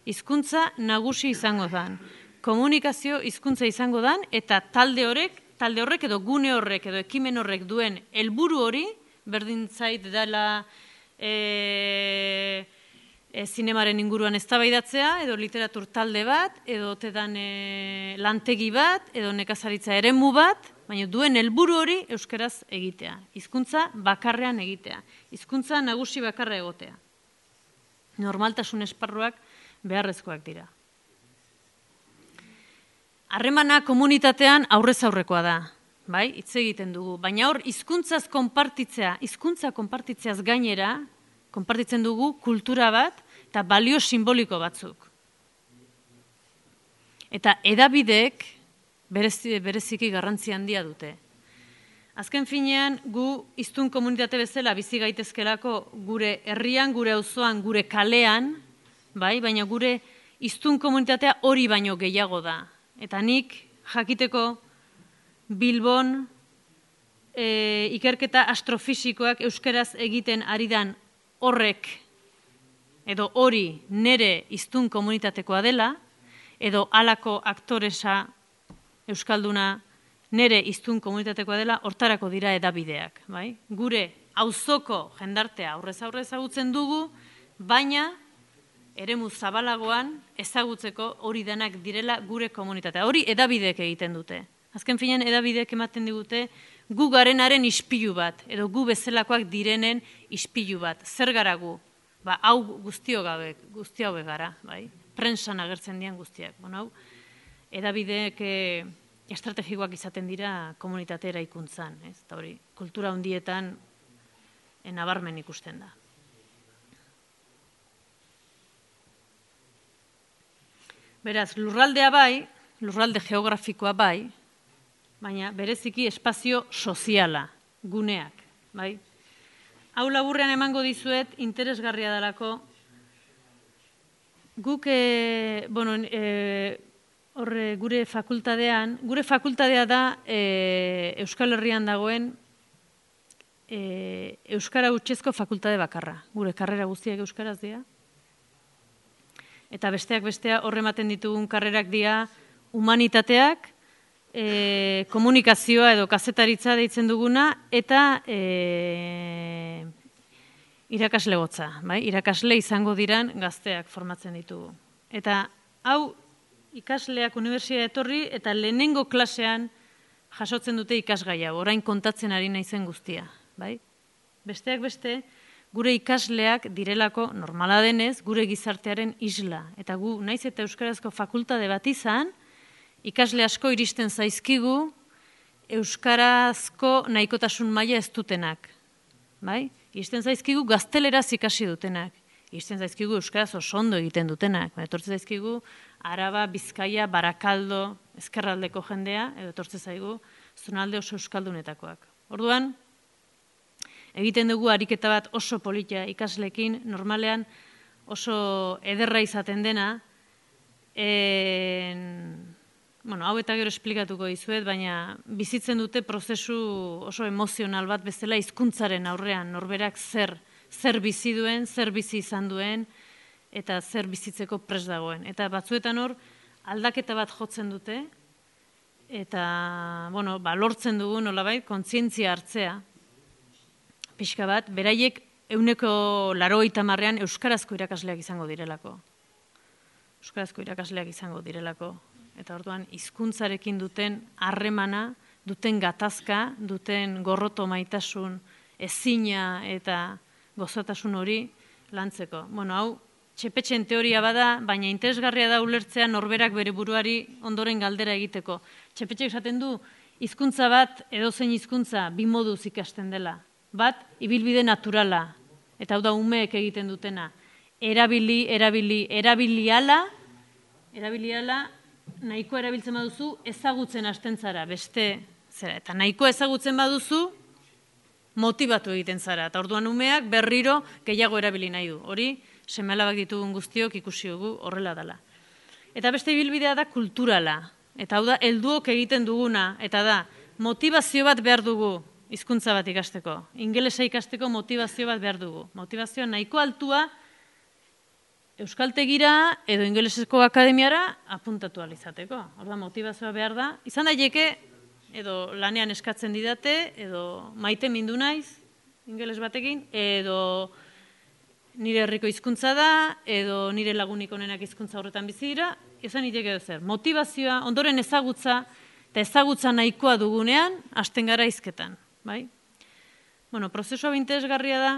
Hizkuntza nagusi izango dan. Komunikazio hizkuntza izango dan, eta talde horrek, talde horrek edo gune horrek edo ekimen horrek duen helburu hori, berdin zait dela e, e, zinemaren inguruan eztabaidatzea, edo literatur talde bat, edo tedan e, lantegi bat, edo nekazaritza eremu bat, baina duen helburu hori euskeraz egitea. Hizkuntza bakarrean egitea. Hizkuntza nagusi bakarra egotea. Normaltasun esparruak beharrezkoak dira. Harremana komunitatean aurrez aurrekoa da, bai, hitz egiten dugu. Baina hor, hizkuntzaz konpartitzea, hizkuntza konpartitzeaz gainera, konpartitzen dugu kultura bat eta balio simboliko batzuk. Eta edabideek bereziki garrantzi handia dute. Azken finean, gu hiztun komunitate bezala bizi gaitezkelako gure herrian, gure auzoan, gure kalean, bai, baina gure hiztun komunitatea hori baino gehiago da. Eta nik jakiteko Bilbon e, ikerketa astrofisikoak euskeraz egiten ari dan horrek edo hori nere hiztun komunitatekoa dela, edo halako aktoresa euskalduna nere hiztun komunitatekoa dela, hortarako dira edabideak. Bai? Gure auzoko jendartea aurrez aurre ezagutzen dugu, baina eremu zabalagoan ezagutzeko hori denak direla gure komunitatea. Hori edabideek egiten dute. Azken finean edabideek ematen digute gu garenaren ispilu bat, edo gu bezalakoak direnen ispilu bat. Zer gara gu? Ba, hau guztio gabe, guzti hau gara, bai? Prentsan agertzen dian guztiak. Bueno, hau, edabideek eh, estrategikoak izaten dira komunitate eraikuntzan, ez? Eta hori, kultura handietan nabarmen ikusten da. Beraz, lurraldea bai, lurralde geografikoa bai, baina bereziki espazio soziala, guneak, bai? Hau laburrean emango dizuet, interesgarria dalako, guk, e, bueno, e, horre, gure fakultadean, gure fakultadea da e, Euskal Herrian dagoen e, Euskara hutsezko fakultade bakarra. Gure karrera guztiak euskaraz dira. Eta besteak bestea horre ematen ditugun karrerak dira humanitateak, e, komunikazioa edo kazetaritza deitzen duguna, eta e, irakaslegotza, bai? Irakasle izango diran gazteak formatzen ditugu. Eta hau ikasleak unibertsitatea etorri eta lehenengo klasean jasotzen dute ikasgai hau, orain kontatzen ari naizen guztia, bai? Besteak beste, gure ikasleak direlako normala denez, gure gizartearen isla. Eta gu, naiz eta euskarazko fakultate bat izan, ikasle asko iristen zaizkigu euskarazko nahikotasun maila ez dutenak. Bai? Iristen zaizkigu gazteleraz ikasi dutenak. Iristen zaizkigu euskaraz oso ondo egiten dutenak. Etortzen zaizkigu Araba, Bizkaia, Barakaldo, ezkerraldeko jendea, edo etortzen zaigu zonalde oso euskaldunetakoak. Orduan, egiten dugu ariketa bat oso polita ikaslekin, normalean oso ederra izaten dena, en, bueno, hau eta gero esplikatuko dizuet, baina bizitzen dute prozesu oso emozional bat bezala hizkuntzaren aurrean, norberak zer, zer bizi duen, zer bizi izan duen, eta zer bizitzeko prest dagoen. Eta batzuetan hor, aldaketa bat jotzen dute, eta, bueno, ba, lortzen dugu nolabait, kontzientzia hartzea, pixka bat, beraiek euneko laurogeita hamarrean euskarazko irakasleak izango direlako. Euskarazko irakasleak izango direlako. Eta orduan, hizkuntzarekin duten harremana, duten gatazka, duten gorroto maitasun, ezina eta gozatasun hori lantzeko. Bueno, hau, txepetxen teoria bada, baina interesgarria da ulertzea norberak bere buruari ondoren galdera egiteko. Txepetxek esaten du, hizkuntza bat, edozein hizkuntza, bi moduz ikasten dela. Bat, ibilbide naturala, eta hau da umeek egiten dutena. Erabili, erabili, erabili ala, erabili ala, nahiko erabiltzen baduzu, ezagutzen hasten zara, beste, zera, eta nahiko ezagutzen baduzu, motibatu egiten zara, eta orduan umeak berriro gehiago erabili nahi du. Hori, seme-alabak ditugun guztiok ikusi dugu horrela dela. Eta beste ibilbidea da kulturala, eta hau da, helduok egiten duguna, eta da, motivazio bat behar dugu, hizkuntza bat ikasteko. Ingelesa ikasteko motivazio bat behar dugu. Motivazioa nahiko altua euskaltegira edo ingelesezko akademiara apuntatu alizateko. Orda motivazioa behar da. Izan daiteke edo lanean eskatzen didate, edo maite mindu naiz, ingeles batekin, edo nire herriko hizkuntza da, edo nire lagunik onenak hizkuntza horretan bizi dira, izan daiteke edo zer. Motivazioa, ondoren ezagutza, eta ezagutza nahikoa dugunean, hasten gara hizketan. Bai? Bueno, prozesua interesgarria da,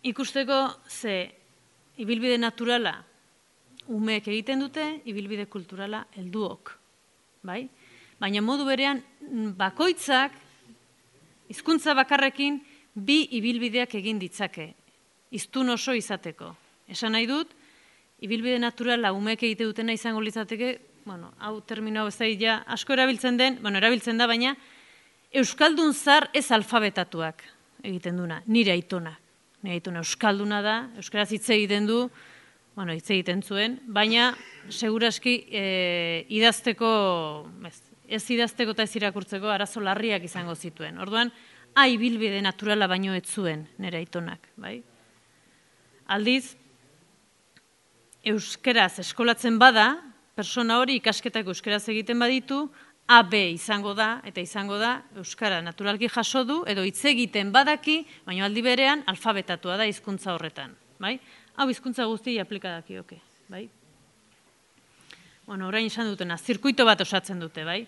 ikusteko ze ibilbide naturala umeek egiten dute, ibilbide kulturala helduok. Bai? Baina modu berean, bakoitzak, hizkuntza bakarrekin, bi ibilbideak egin ditzake, hiztun oso izateko. Esan nahi dut, ibilbide naturala umeek egite dutena izango litzateke, bueno, hau termino hau ez da, ja, asko erabiltzen den, bueno, erabiltzen da, baina, euskaldun zar ez alfabetatuak egiten duna, nire aitona. Nire aitona euskalduna da, euskaraz hitz egiten du, bueno, hitz egiten zuen, baina seguraski e, idazteko, ez, ez idazteko eta ez irakurtzeko arazo larriak izango zituen. Orduan, a ibilbide naturala baino ez zuen nire aitonak, bai? Aldiz, euskaraz eskolatzen bada, persona hori ikasketak euskaraz egiten baditu, A B izango da, eta izango da, euskara naturalki jaso du, edo hitz egiten badaki, baina aldi berean alfabetatua da hizkuntza horretan. Bai? Hau hizkuntza guzti aplikadakioke. Bai? Bueno, orain izan dutena, zirkuito bat osatzen dute, bai?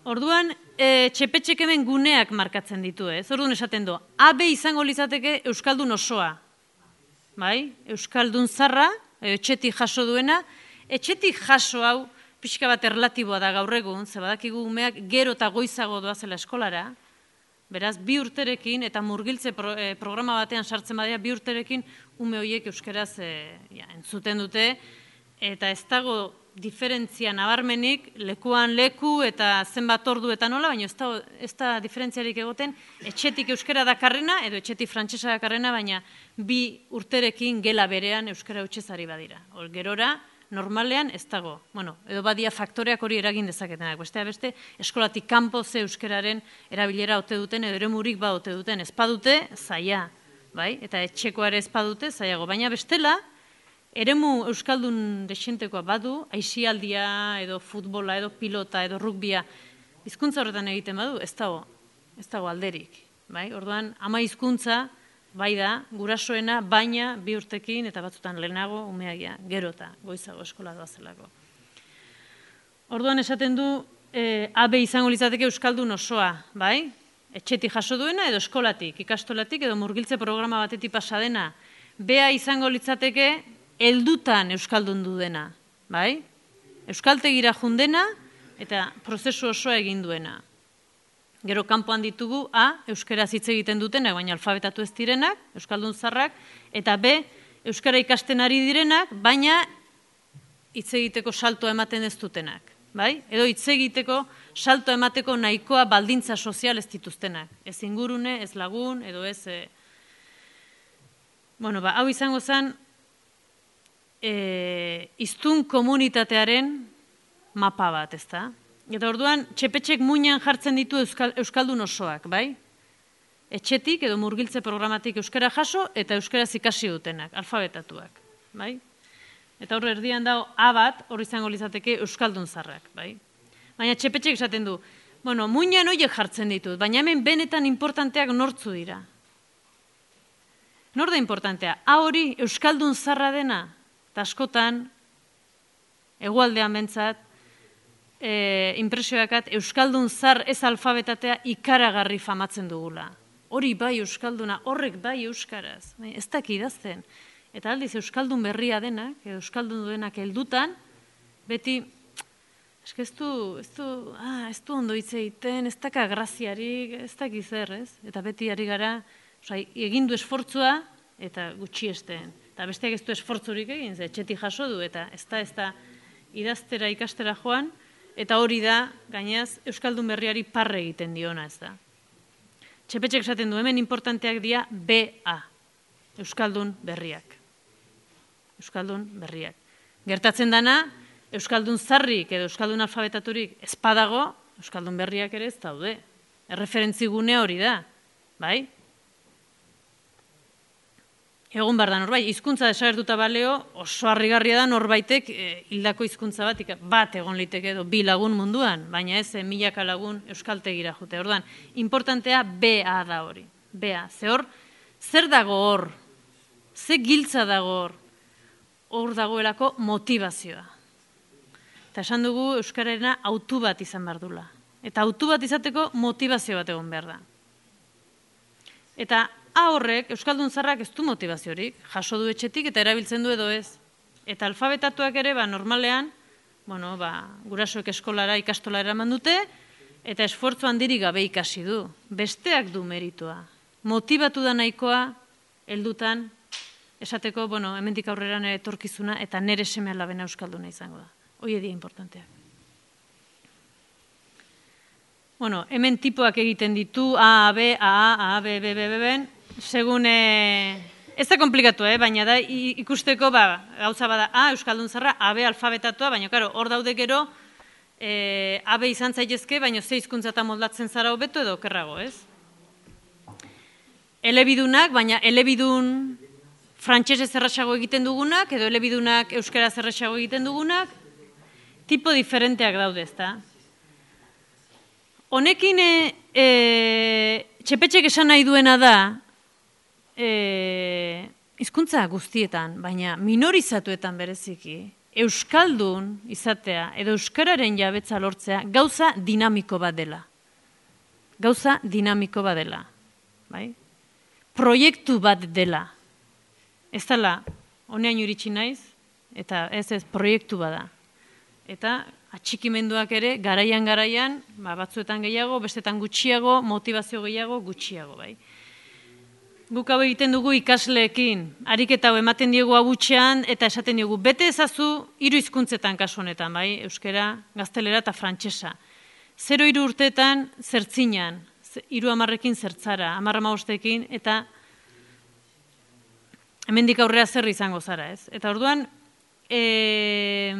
Orduan, e, txepetxek hemen guneak markatzen ditu, ez? Orduan esaten du, A B izango litzateke euskaldun osoa. Bai? Euskaldun zarra, etxetik jaso duena, etxetik jaso hau, pixka bat erlatiboa da gaur egun, ze badakigu umeak gero eta goizago doazela eskolara, beraz, bi urterekin, eta murgiltze pro, eh, programa batean sartzen badea, bi urterekin ume horiek euskeraz eh, ja, entzuten dute, eta ez dago diferentzia nabarmenik, lekuan leku eta zenbat ordu eta nola, baina ez da, ez da diferentziarik egoten, etxetik euskera dakarrena, edo etxetik frantsesa dakarrena, baina bi urterekin gela berean euskara utxezari badira. Hor, gerora, normalean ez dago. Bueno, edo badia faktoreak hori eragin dezaketenak. Bestea beste, eskolatik kanpo ze euskararen erabilera ote duten, edo eremurik ba ote duten. Ez badute, zaila, bai? Eta etxekoare ez badute, zailago. Baina bestela, eremu euskaldun desentekoa badu, aisialdia, edo futbola, edo pilota, edo rugbia, hizkuntza horretan egiten badu, ez dago, ez dago alderik. Bai? Orduan, ama hizkuntza, bai da, gurasoena, baina bi urtekin eta batzutan lehenago umeagia, gero eta goizago eskola doazelako. Orduan esaten du, A B izango litzateke euskaldun osoa, bai? Etxetik jaso duena edo eskolatik, ikastolatik edo murgiltze programa batetik pasa dena. B A izango litzateke heldutan euskaldun du dena, bai? Euskaltegira jundena eta prozesu osoa egin duena. Gero kanpoan ditugu A, euskaraz hitz egiten dutenak, baina alfabetatu ez direnak, euskaldun zarrak, eta B, euskara ikasten ari direnak, baina hitz egiteko saltoa ematen ez dutenak. Bai? Edo hitz egiteko salto emateko nahikoa baldintza sozial ez dituztenak. Ez ingurune, ez lagun, edo ez... E... Bueno, ba, hau izango zen e, hiztun komunitatearen mapa bat, ez da? Eta orduan, txepetxek muinean jartzen ditu euskal, euskaldun osoak, bai? Etxetik edo murgiltze programatik euskara jaso eta euskaraz ikasi dutenak, alfabetatuak, bai? Eta hor erdian dago A bat, hor izango lizateke euskaldun zarrak, bai? Baina txepetxek esaten du, bueno, muinean horiek jartzen ditut, baina hemen benetan importanteak nortzu dira. Nor da importantea? A hori euskaldun zarra dena, eta askotan, hegoaldean bentsat, e, impresioakat, euskaldun zar ez alfabetatea ikaragarri famatzen dugula. Hori bai euskalduna, horrek bai euskaraz, ez daki idazten. Eta aldiz, euskaldun berria denak, edo euskaldun duenak heldutan, beti, eske ez du, ez du, ah, ez du ondo hitz egiten, ez daka graziarik, ez daki zer, ez? Eta beti ari gara, oza, egin du esfortzua, eta gutxi esteen. Eta besteak ez du esfortzurik egin, ze etxetik jaso du, eta ez da, ez da, idaztera ikastera joan, eta hori da, gainaz, euskaldun berriari parre egiten diona, ez da. Txepetxek esaten du, hemen importanteak dira B A, euskaldun berriak. Euskaldun berriak. Gertatzen dana, euskaldun zarrik edo euskaldun alfabetaturik ez badago, euskaldun berriak ere ez daude. Erreferentzi gune hori da, bai? Egun behar da norbait, hizkuntza desagertuta baleo, oso harrigarria da norbaitek e, hildako hizkuntza bat, bat egon liteke edo bi lagun munduan, baina ez e, milaka lagun euskaltegira jute. Orduan, importantea B A da hori. B A, ze hor, zer dago hor? Ze giltza dago hor? Hor dagoelako motivazioa. Eta esan dugu euskararena autu bat izan behar dula. Eta autu bat izateko motivazio bat egon behar da. Eta A horrek, euskaldun zarrak ez du motivaziorik, jaso du etxetik eta erabiltzen du edo ez. Eta alfabetatuak ere, ba, normalean, bueno, ba, gurasoek eskolara ikastola eraman dute, eta esfortzu handirik gabe ikasi du. Besteak du meritua. Motibatu da nahikoa, heldutan, esateko, bueno, hemendik aurrera nire etorkizuna eta nire seme alabena euskalduna izango da. Hoi edia importanteak. Bueno, hemen tipoak egiten ditu, A, B, A, A, A, B, B, B, B, B, segun, ez da komplikatu, eh? Baina da ikusteko, ba, gauza bada A, euskaldun zarra, A, B, alfabetatua, baina, karo, hor daude gero, e, A, B izan zaitezke, baina ze hizkuntzatan moldatzen zara hobeto edo okerrago, ez? Elebidunak, baina elebidun frantsesez errazago egiten dugunak, edo elebidunak euskaraz errazago egiten dugunak, tipo diferenteak daude, ezta? Honekin e, e, txepetxek esan nahi duena da, e, hizkuntza guztietan, baina minorizatuetan bereziki, euskaldun izatea edo euskararen jabetza lortzea gauza dinamiko bat dela. Gauza dinamiko bat dela. Bai? Proiektu bat dela. Ez dela, honean iritsi naiz, eta ez ez proiektu bada. Eta atxikimenduak ere, garaian garaian, ba, batzuetan gehiago, bestetan gutxiago, motivazio gehiago, gutxiago. Bai? Guk hau egiten dugu ikasleekin, ariketa hau ematen diogu abutxean, eta esaten diogu, bete ezazu hiru hizkuntzetan kasu honetan, bai? Euskera, gaztelera eta frantsesa. Zero hiru urteetan zertzinan, hiru hamarrekin zertzara, hamar hamabostekin, eta hemendik aurrera zer izango zara, ez? Eta orduan, e,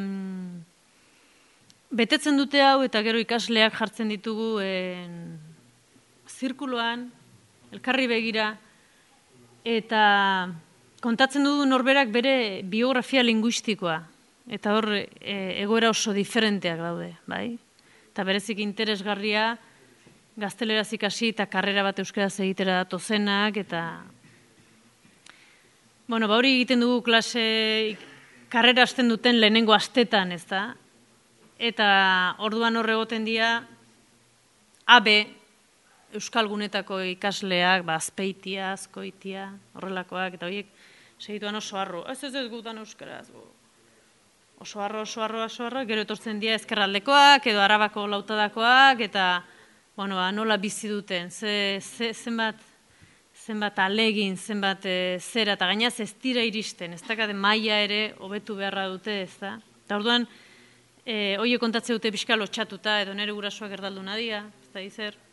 betetzen dute hau, eta gero ikasleak jartzen ditugu en, zirkuloan, elkarri begira, eta kontatzen dugu norberak bere biografia linguistikoa, eta hor e, egoera oso diferenteak daude, bai? Eta berezik interesgarria, gazteleraz ikasi eta karrera bat euskaraz egitera datozenak, eta bueno, ba hori egiten dugu klase, karrera hasten duten lehenengo astetan, ez da? eta orduan horre egoten dira A B Euskalgunetako ikasleak, ba, Azpeitia, Azkoitia, horrelakoak, eta horiek segituan oso harro. Ez ez ez gutan euskaraz. Oso harro, oso harro, oso harro, gero etortzen dira ezkerraldekoak, edo Arabako lautadakoak, eta bueno, nola bizi duten, ze, ze, zenbat, zenbat alegin, zenbat e, zera, eta gainaz ez dira iristen, ez dakate maila ere hobetu beharra dute, ez da. Eta orduan, e, horiek kontatze dute pixka lotxatuta, edo nire gurasoak erdaldu nadia, ez da izer.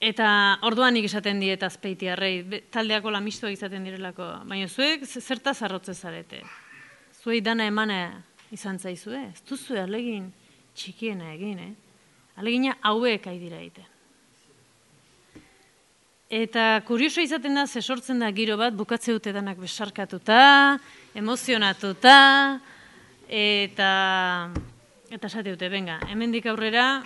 Eta orduan nik esaten diet Azpeitiarrei, taldeako lamistuak izaten direlako, baina zuek zertaz arrotze zarete. Zuei dana emana izan zaizue, ez duzue alegin txikiena egin, eh? Alegina hauek aidira egiten. Eta kurioso izaten da, ze sortzen da giro bat, bukatze dute danak besarkatuta, emozionatuta, eta eta esate dute, venga, hemendik aurrera,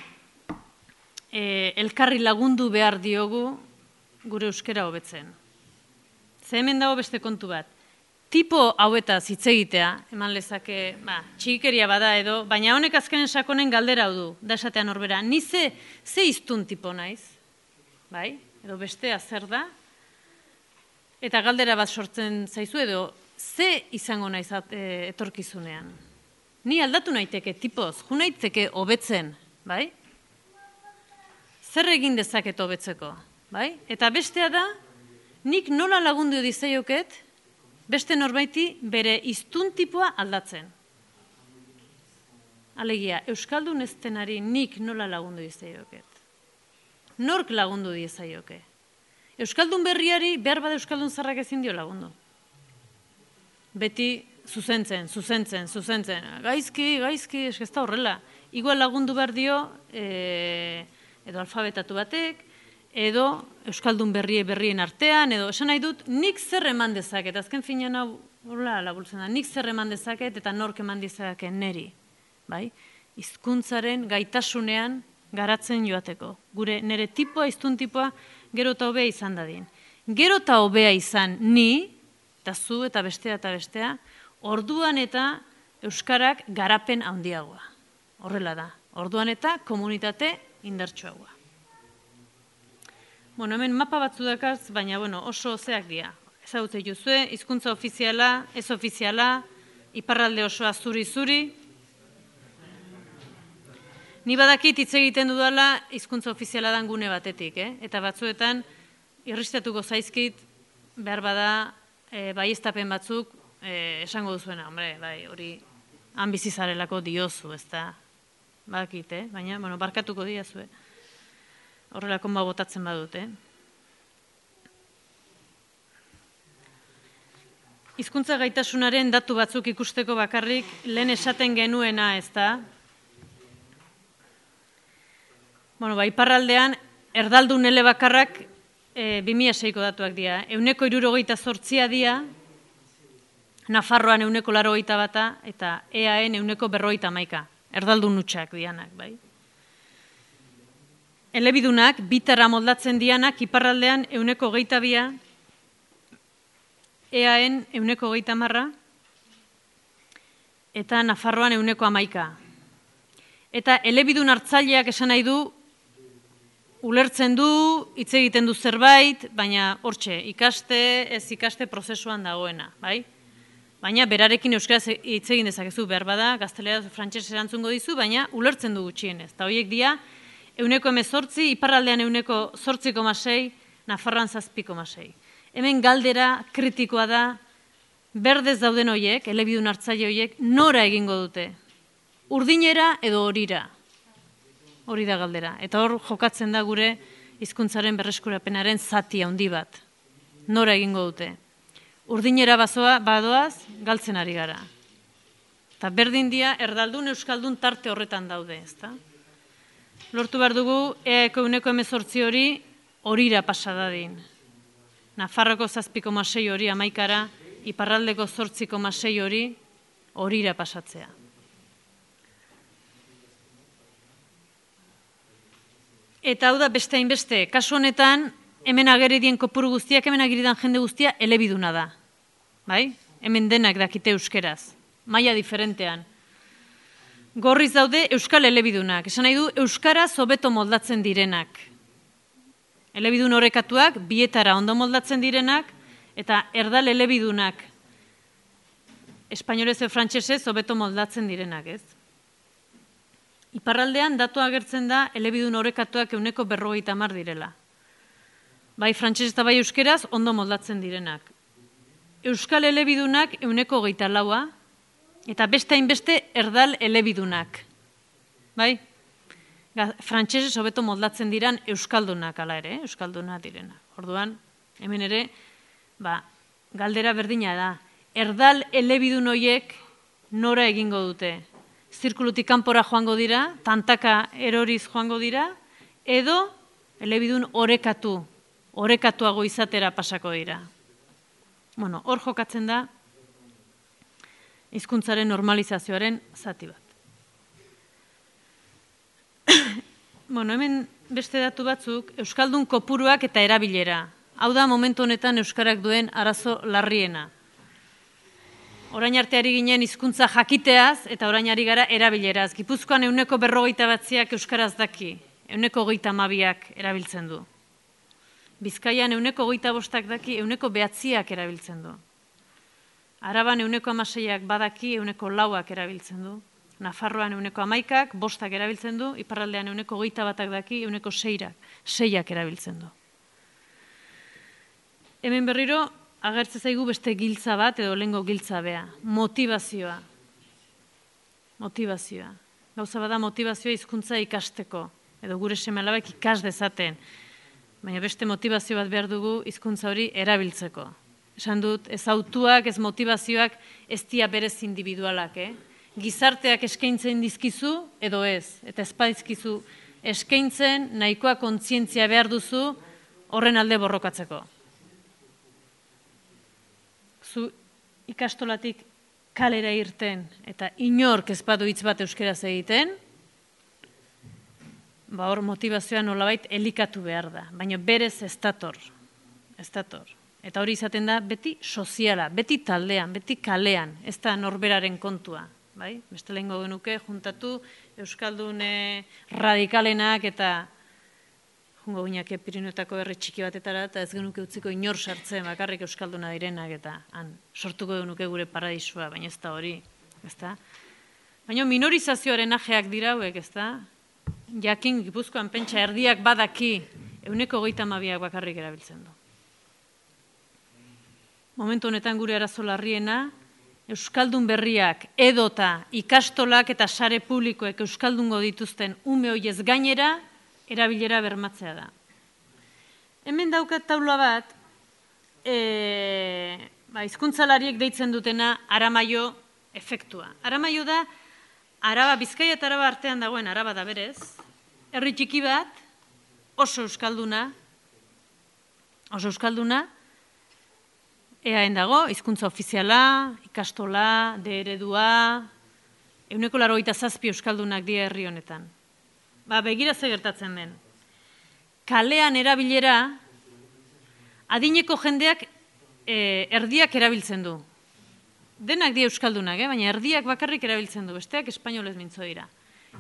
E, elkarri lagundu behar diogu gure euskera hobetzen. Ze hemen dago beste kontu bat. Tipo hauetaz hitz egitea, eman lezake, ba, txikeria bada edo, baina honek azkenen sakonen galdera hau du, da esatean horbera, ni ze, ze iztun tipo naiz, bai? Edo bestea zer da, eta galdera bat sortzen zaizu edo, ze izango naiz e, etorkizunean. Ni aldatu naiteke tipoz, ju naiteke hobetzen, bai? Zer egin dezaket hobetzeko, bai? Eta bestea da, nik nola lagundu dizaioket, beste norbaiti bere hiztun tipoa aldatzen. Alegia, euskaldun eztenari nik nola lagundu dizaioket. Nork lagundu dizaioke. Euskaldun berriari behar bada euskaldun zarrak ezin dio lagundu. Beti zuzentzen, zuzentzen, zuzentzen. Gaizki, gaizki, eskazta horrela. Igual lagundu behar dio, e, edo alfabetatu batek, edo euskaldun berrie berrien artean, edo esan nahi dut, nik zer eman dezaket, azken finean hau, hola, labultzen da, nik zer eman dezaket eta nork eman dezaket neri, bai? Hizkuntzaren gaitasunean garatzen joateko. Gure nire tipoa, hiztun tipoa, gero eta hobea izan dadin. Gero eta hobea izan ni, eta zu eta bestea eta bestea, orduan eta euskarak garapen handiagoa. Horrela da. Orduan eta komunitate indartsuagoa. Bueno, hemen mapa batzu dakaz, baina bueno, oso zeak dira. Ezagutzen juzue, hizkuntza ofiziala, ez ofiziala, iparralde osoa zuri-zuri. Ni badakit hitz egiten dudala hizkuntza ofiziala dan gune batetik, eh? Eta batzuetan irristatuko zaizkit behar bada e, baieztapen batzuk e, esango duzuena, hombre, bai, hori han bizizarelako diozu, ez da? Badakit, eh? Baina, bueno, barkatuko diazue. Horrelako ma botatzen badut, eh? Hizkuntza gaitasunaren datu batzuk ikusteko bakarrik lehen esaten genuena, ez da? Bueno, ba, iparraldean, erdaldun elebakarrak e, bi mila seiko datuak dira. Euneko hirurogeita zortzia dira, Nafarroan euneko laurogeita bata, eta E A N euneko berrogeita hamaika. Erdaldun nutxak dianak, bai. Elebidunak, bitara moldatzen dianak, iparraldean euneko geita bia, E A N euneko geita marra, eta Nafarroan euneko hamaika. Eta elebidun hartzaileak esan nahi du, ulertzen du, hitz egiten du zerbait, baina hortxe, ikaste, ez ikaste prozesuan dagoena, bai? Baina berarekin euskaraz hitz egin dezakezu behar bada, gazteleraz frantses erantzungo dizu, baina ulertzen du gutxienez. Eta horiek dira, euneko hemezortzi, iparraldean euneko zortzi koma sei, Nafarroan zazpi koma sei. Hemen galdera kritikoa da, berdez dauden horiek, elebidun hartzaile horiek, nora egingo dute? Urdinera edo horira? Hori da galdera. Eta hor jokatzen da gure hizkuntzaren berreskurapenaren zati handi bat. Nora egingo dute? Urdinera bazoa badoaz, galtzen ari gara. Eta berdin dia, erdaldun euskaldun tarte horretan daude, ezta? Lortu behar dugu, eaeko euneko hemezortzi hori horira pasadadin. Nafarroko zazpi koma sei hori hamaikara, iparraldeko zortzi koma sei hori horira pasatzea. Eta hau da beste hainbeste, kasu honetan, hemen ageridien kopuru guztiak, hemen ageridan jende guztia elebiduna da. Bai? Hemen denak dakite euskeraz. Maila diferentean. gorriz daude euskal elebidunak. Esan nahi du, euskara hobeto moldatzen direnak. Elebidun orekatuak, bietara ondo moldatzen direnak, eta erdal elebidunak, espainolez edo frantsesez hobeto moldatzen direnak, ez? Iparraldean datu agertzen da elebidun orekatuak euneko berrogeita hamar direla. Bai frantsesez eta bai euskeraz ondo moldatzen direnak. Euskal elebidunak euneko hogeita laua, eta beste hainbeste erdal elebidunak. Bai? Frantsesez hobeto moldatzen diran euskaldunak ala ere, euskaldunak direnak. Orduan, hemen ere, ba, galdera berdina da. Erdal elebidun horiek nora egingo dute? Zirkulutik kanpora joango dira, tantaka eroriz joango dira, edo elebidun orekatu, orekatuago izatera pasako dira. Bueno, hor jokatzen da hizkuntzaren normalizazioaren zati bat. Bueno, hemen beste datu batzuk, euskaldun kopuruak eta erabilera. Hau da momentu honetan euskarak duen arazo larriena. Orain arteari ginen hizkuntza jakiteaz eta orain ari gara erabileraz. Gipuzkoan euneko berrogeita batziak euskaraz daki, euneko hogeita hamabiak erabiltzen du. Bizkaian euneko hogeita bostak daki, euneko behatziak erabiltzen du. Araban euneko hamaseiak badaki, euneko lauak erabiltzen du. Nafarroan euneko hamaikak, bostak erabiltzen du, iparraldean euneko hogeita batak daki, euneko seirak, seiak erabiltzen du. Hemen berriro, agertze zaigu beste giltza bat, edo lehengo giltza bea, motivazioa. Motivazioa. Gauza bada motivazioa hizkuntza ikasteko, edo gure seme-alabak ikas dezaten. Baina beste motivazio bat behar dugu hizkuntza hori erabiltzeko. Esan dut, ez autuak, ez motivazioak, ez dia berez individualak, eh? Gizarteak eskaintzen dizkizu, edo ez, eta ezpadizkizu eskaintzen nahikoa kontzientzia behar duzu horren alde borrokatzeko. Zu ikastolatik kalera irten eta inork ez badu hitz bat euskeraz egiten, ba hor motivazioa nolabait elikatu behar da, baina berez ez dator, ez dator. Eta hori izaten da beti soziala, beti taldean, beti kalean, ez da norberaren kontua. Bai? Beste lehengo genuke, juntatu euskaldun radikalenak eta jungo guinak Pirinioetako herri txiki batetara eta ez genuke utziko inor sartzen bakarrik euskalduna direnak eta han sortuko genuke gure paradisua, baina ez da hori, ez da? Baina minorizazioaren ajeak dira hauek, ez da? Jakin Gipuzkoan pentsa erdiak badaki euneko hogeita hamabiak bakarrik erabiltzen du. Momentu honetan gure arazo larriena, euskaldun berriak edota ikastolak eta sare publikoek euskaldungo dituzten ume hoiez gainera erabilera bermatzea da. Hemen daukat taula bat, e, ba, hizkuntzalariek deitzen dutena Aramaio efektua. Aramaio da, Araba, Bizkaia eta Araba artean dagoen Araba da berez, herri txiki bat, oso euskalduna, oso euskalduna, eaen dago, hizkuntza ofiziala, ikastola, de eredua, euneko laurogeita zazpi euskaldunak dira herri honetan. Ba, begira ze gertatzen den. Kalean erabilera, adineko jendeak e, erdiak erabiltzen du. Denak dira euskaldunak, eh? Baina erdiak bakarrik erabiltzen du, besteak espainolez mintzo dira.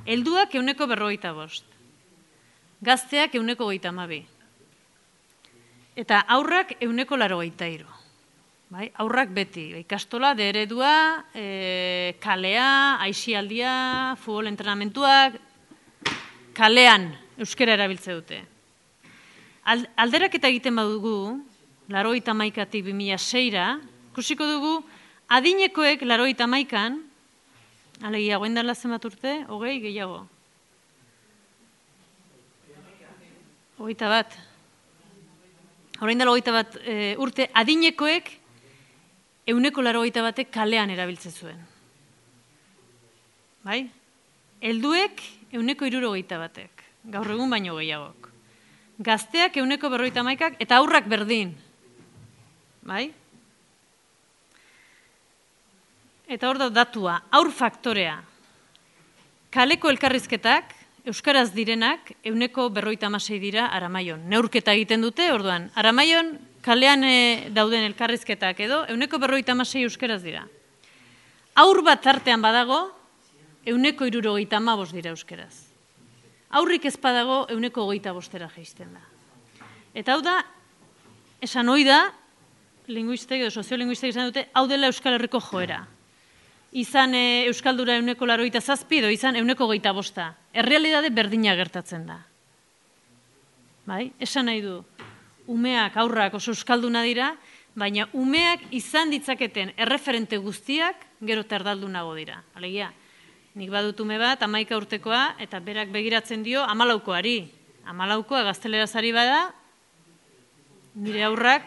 Helduak euneko berrogeita bost. Gazteak euneko hogeita hamabi. Eta aurrak euneko laurogeita hiru. Bai, aurrak beti, ikastola, de eredua, e, kalea, aisialdia, futbol entrenamentuak, kalean euskera erabiltze dute. Alderaketa egiten badugu, laurogeita hamaikatik bi mila seira, ikusiko dugu, adinekoek laurogeita hamaikan, alegia, goen dela zenbat urte, hogei gehiago. Hogeita bat. Horein dela hogeita bat e, urte, adinekoek euneko laurogeita batek kalean erabiltzen zuen. Bai? Helduek euneko hirurogeita batek, gaur egun baino gehiagok. Gazteak euneko berrogeita hamaikak eta aurrak berdin. Bai? Eta hor da datua, aur faktorea. Kaleko elkarrizketak, euskaraz direnak, euneko berrogeita hamasei dira Aramaion. Neurketa egiten dute, orduan, Aramaion kalean e, dauden elkarrizketak edo, euneko berrogeita hamasei euskaraz dira. Aur bat tartean badago, euneko hirurogeita hamabost dira euskeraz. Aurrik ez badago euneko hogeita bostera jaisten da. Eta hau da, esan hoi da, linguistek edo soziolinguistek izan dute, hau dela Euskal Herriko joera. Izan Euskaldura euneko larogeita zazpi edo izan euneko hogeita bosta. Errealidade berdina gertatzen da. Bai? Esan nahi du, umeak, aurrak oso euskalduna dira, baina umeak izan ditzaketen erreferente guztiak gero terdaldunago dira. Alegia, nik badut ume bat, hamaika urtekoa, eta berak begiratzen dio hamalaukoari. Hamalaukoa gazteleraz ari bada, nire aurrak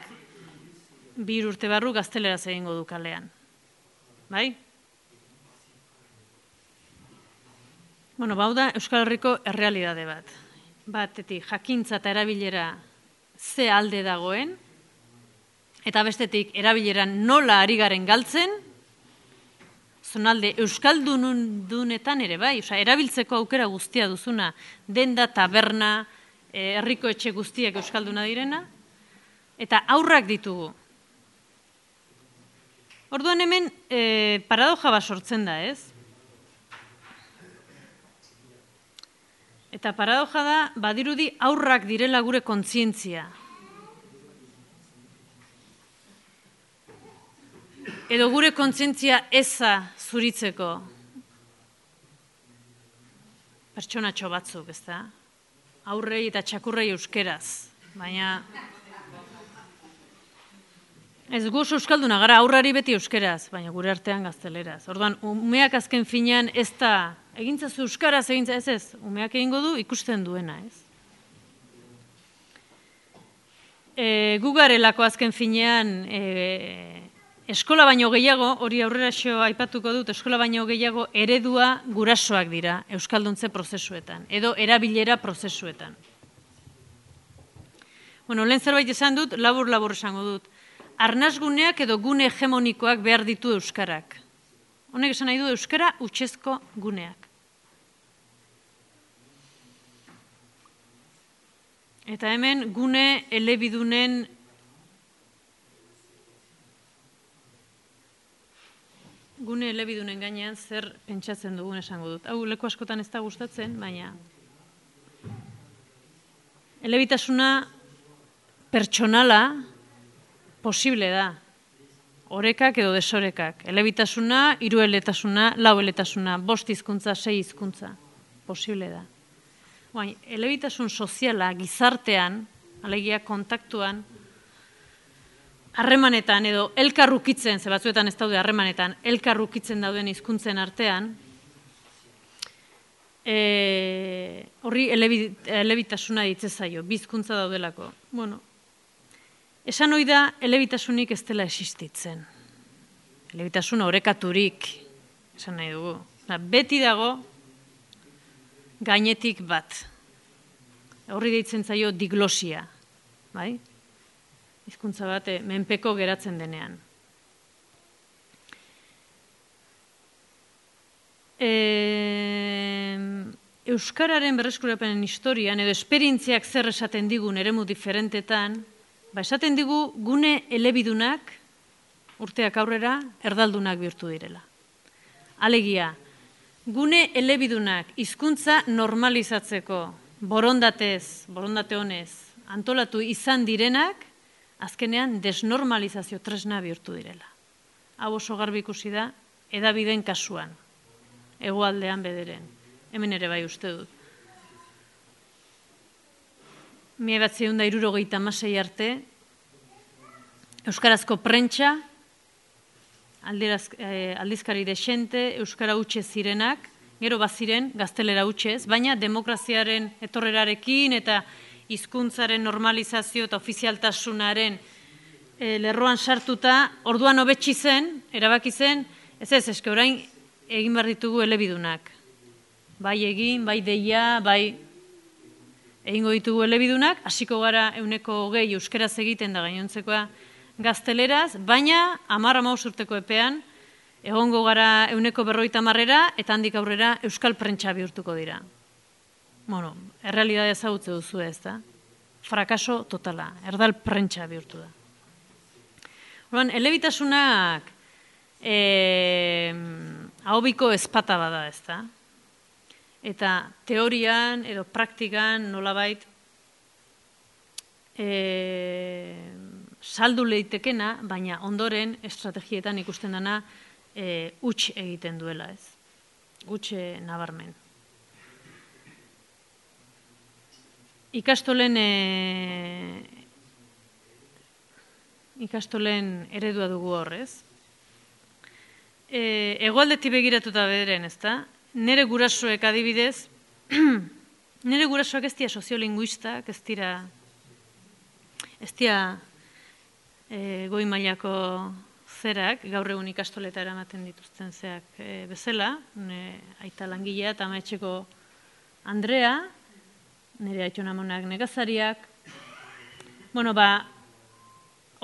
bi urte barru gazteleraz egingo du kalean. Bai? Bueno, bau da Euskal Herriko errealidade bat. Batetik, jakintza eta erabilera ze alde dagoen, eta bestetik, erabileran nola ari garen galtzen, zonalde Euskaldunetan ere bai, oza, erabiltzeko aukera guztia duzuna, denda, taberna, herriko etxe guztiak Euskalduna direna, eta aurrak ditugu. Orduan hemen e, paradoja bat sortzen da, ez? Eta paradoja da, badirudi aurrak direla gure kontzientzia. Edo gure kontzientzia eza zuritzeko pertsonatxo batzuk, ez da? Aurrei eta txakurrei euskeraz, baina ez gu oso euskalduna gara, aurrari beti euskeraz, baina gure artean gazteleraz. Orduan, umeak azken finean ez da, egintzazu euskaraz, egintza ez ez, umeak egingo du ikusten duena, ez? E, gu garelako azken finean e, eskola baino gehiago, hori aurrera xo aipatuko dut, eskola baino gehiago eredua gurasoak dira euskalduntze prozesuetan, edo erabilera prozesuetan. Bueno, lehen zerbait esan dut, labur-labur esango dut. Arnasguneak edo gune hegemonikoak behar ditu euskarak. Honek esan nahi du euskara hutsezko guneak. Eta hemen gune elebidunen gune elebidunen gainean zer pentsatzen dugun esango dut. Hau leku askotan ez da gustatzen, baina elebitasuna pertsonala posible da. Orekak edo desorekak. Elebitasuna, hirueletasuna, laueletasuna, bost hizkuntza, sei hizkuntza. Posible da. Baina, elebitasun soziala gizartean, alegia kontaktuan, harremanetan edo elkarrukitzen, ze batzuetan ez daude harremanetan, elkarrukitzen dauden hizkuntzen artean, e, horri elebitasuna ditze zaio, bizkuntza daudelako. Bueno, esan hoi da, elebitasunik ez dela existitzen. Elebitasuna orekaturik, esan nahi dugu. Beti dago, gainetik bat. Horri deitzen zaio diglosia. Bai? Hizkuntza bat, menpeko geratzen denean. E, Euskararen berreskurapenen historian, edo esperientziak zer esaten digun eremu diferentetan, ba, esaten digu gune elebidunak, urteak aurrera, erdaldunak bihurtu direla. Alegia, gune elebidunak hizkuntza normalizatzeko borondatez, borondate honez, antolatu izan direnak, azkenean desnormalizazio tresna bihurtu direla. Hau oso garbi ikusi da, hedabideen kasuan, hegoaldean bederen, hemen ere bai uste dut. Mila batziehun eta hirurogeita hamasei arte, euskarazko prentsa, aldizkari desente, euskara hutxe zirenak, gero baziren gaztelera hutxez, baina demokraziaren etorrerarekin eta hizkuntzaren normalizazio eta ofizialtasunaren lerroan sartuta, orduan hobetsi zen, erabaki zen, ez ez, eske orain egin behar ditugu elebidunak. Bai egin, bai deia, bai egingo ditugu elebidunak, hasiko gara euneko hogei euskeraz egiten da gainontzekoa gazteleraz, baina hamar hamabost urteko epean egongo gara euneko berrogeita hamarrera eta handik aurrera euskal prentsa bihurtuko dira. Bueno, errealitatea ezagutze duzu ez da? Frakaso totala, erdal prentsa bihurtu da. Orduan, elebitasunak ahobiko ezpata bada, ez da? Eta teorian edo praktikan nolabait e, saldu leitekena, baina ondoren estrategietan ikusten dena e, huts egiten duela, ez? Huts nabarmen. Ikastolen e, ikastolen eredua dugu horrez. E, Hegoaldetik begiratuta bederen, ez da? Nere gurasoek adibidez, nere gurasoak ez dira soziolinguistak, ez dira, ez dira e, goi mailako zerak, gaur egun ikastoleta eramaten dituzten zeak e, bezala, ne, aita langilea eta amaetxeko Andrea, nire aitxonamonak negazariak. Bueno, ba,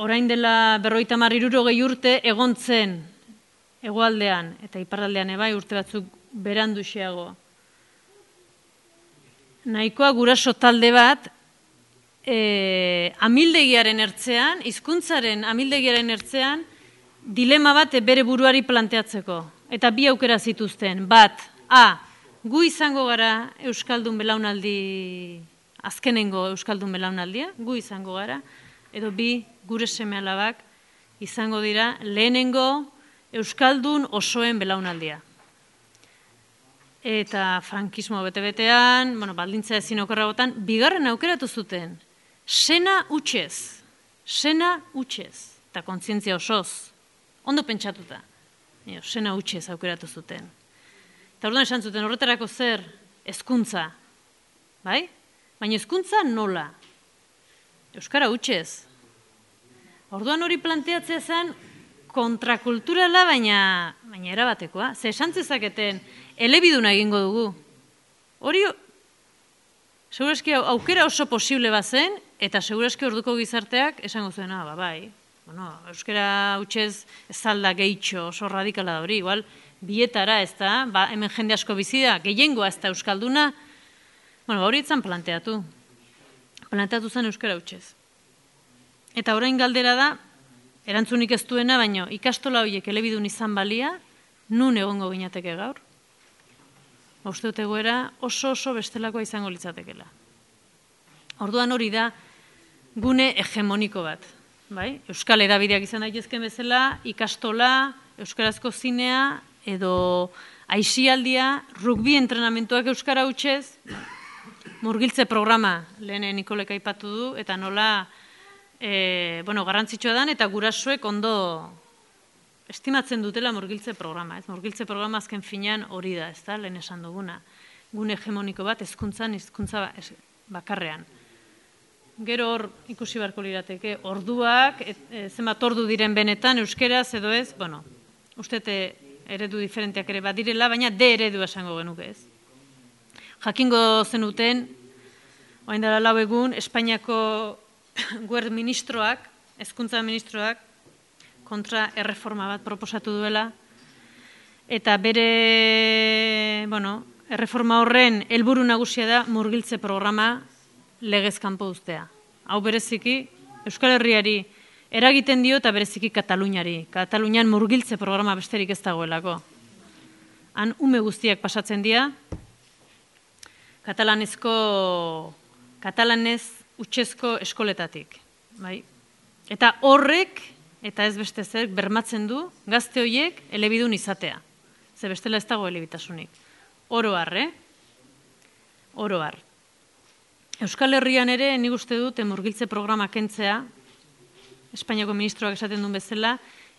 orain dela berrogeita hamar hirurogei urte egontzen hegoaldean eta iparraldean ebai urte batzuk beranduxeago. Nahikoa guraso talde bat e, amildegiaren ertzean, hizkuntzaren amildegiaren ertzean, dilema bat bere buruari planteatzeko. Eta bi aukera zituzten. Bat, A, gu izango gara Euskaldun belaunaldi, azkenengo Euskaldun belaunaldia, gu izango gara, edo bi, gure seme-alabak izango dira lehenengo Euskaldun osoen belaunaldia. Eta frankismo bete-betean, bueno, baldintza ezin okerragotan, bigarren aukeratu zuten. Sena utxez, sena utxez, eta kontzientzia osoz, ondo pentsatuta. Sena utxez aukeratu zuten. Eta orduan esan zuten, horretarako zer, hezkuntza, bai? Baina hezkuntza nola? Euskara utxez. Orduan hori planteatzea zen kontrakulturala, baina, baina erabatekoa. Ze esan zezaketen, elebiduna egingo dugu. Hori, segurazki aukera oso posible bazen, eta segurazki orduko gizarteak esango zuena, ba, bai. Bueno, euskara utxez ez alda gehitxo oso radikala da hori, igual, bietara ez da, ba, hemen jende asko bizi da, gehiengoa ez da euskalduna, bueno, hori etzan planteatu. Planteatu zen euskara utxez. Eta orain galdera da, erantzunik ez duena, baina ikastola horiek elebidun izan balia, nun egongo ginateke gaur? Uste dut egoera oso oso bestelakoa izango litzatekela. Orduan hori da gune hegemoniko bat. Bai? Euskal hedabideak izan daitezken bezala, ikastola, euskarazko zinea, edo aisialdia, rugbi entrenamentuak euskara hutsez, murgiltze programa lehen Nikolek aipatu du, eta nola e, bueno, garrantzitsua dan, eta gurasoek ondo estimatzen dutela murgiltze programa. Ez? Murgiltze programa azken finean hori da, ez da, lehen esan duguna. Gune hegemoniko bat, hezkuntzan, hezkuntza bakarrean. Gero hor ikusi beharko lirateke, orduak, e, e, zenbat ordu diren benetan, euskeraz edo ez, bueno, ustete eredu diferenteak ere badirela, baina de eredu esango genuke ez. Jakingo zenuten, orain dela lau egun, Espainiako guerd ministroak, hezkuntza ministroak, kontra erreforma bat proposatu duela, eta bere, bueno, erreforma horren helburu nagusia da murgiltze programa legez kanpo uztea. Hau bereziki, Euskal Herriari eragiten dio eta bereziki Kataluniari. Katalunian murgiltze programa besterik ez dagoelako. Han ume guztiak pasatzen dira, katalanezko, katalanez utxezko eskoletatik. Bai? Eta horrek, eta ez beste zer, bermatzen du gazte horiek elebidun izatea. Ze bestela ez dago elebitasunik. Oro har, eh? Oro har. Euskal Herrian ere, nik uste dut, murgiltze programa kentzea, Espainiako ministroak esaten duen bezala,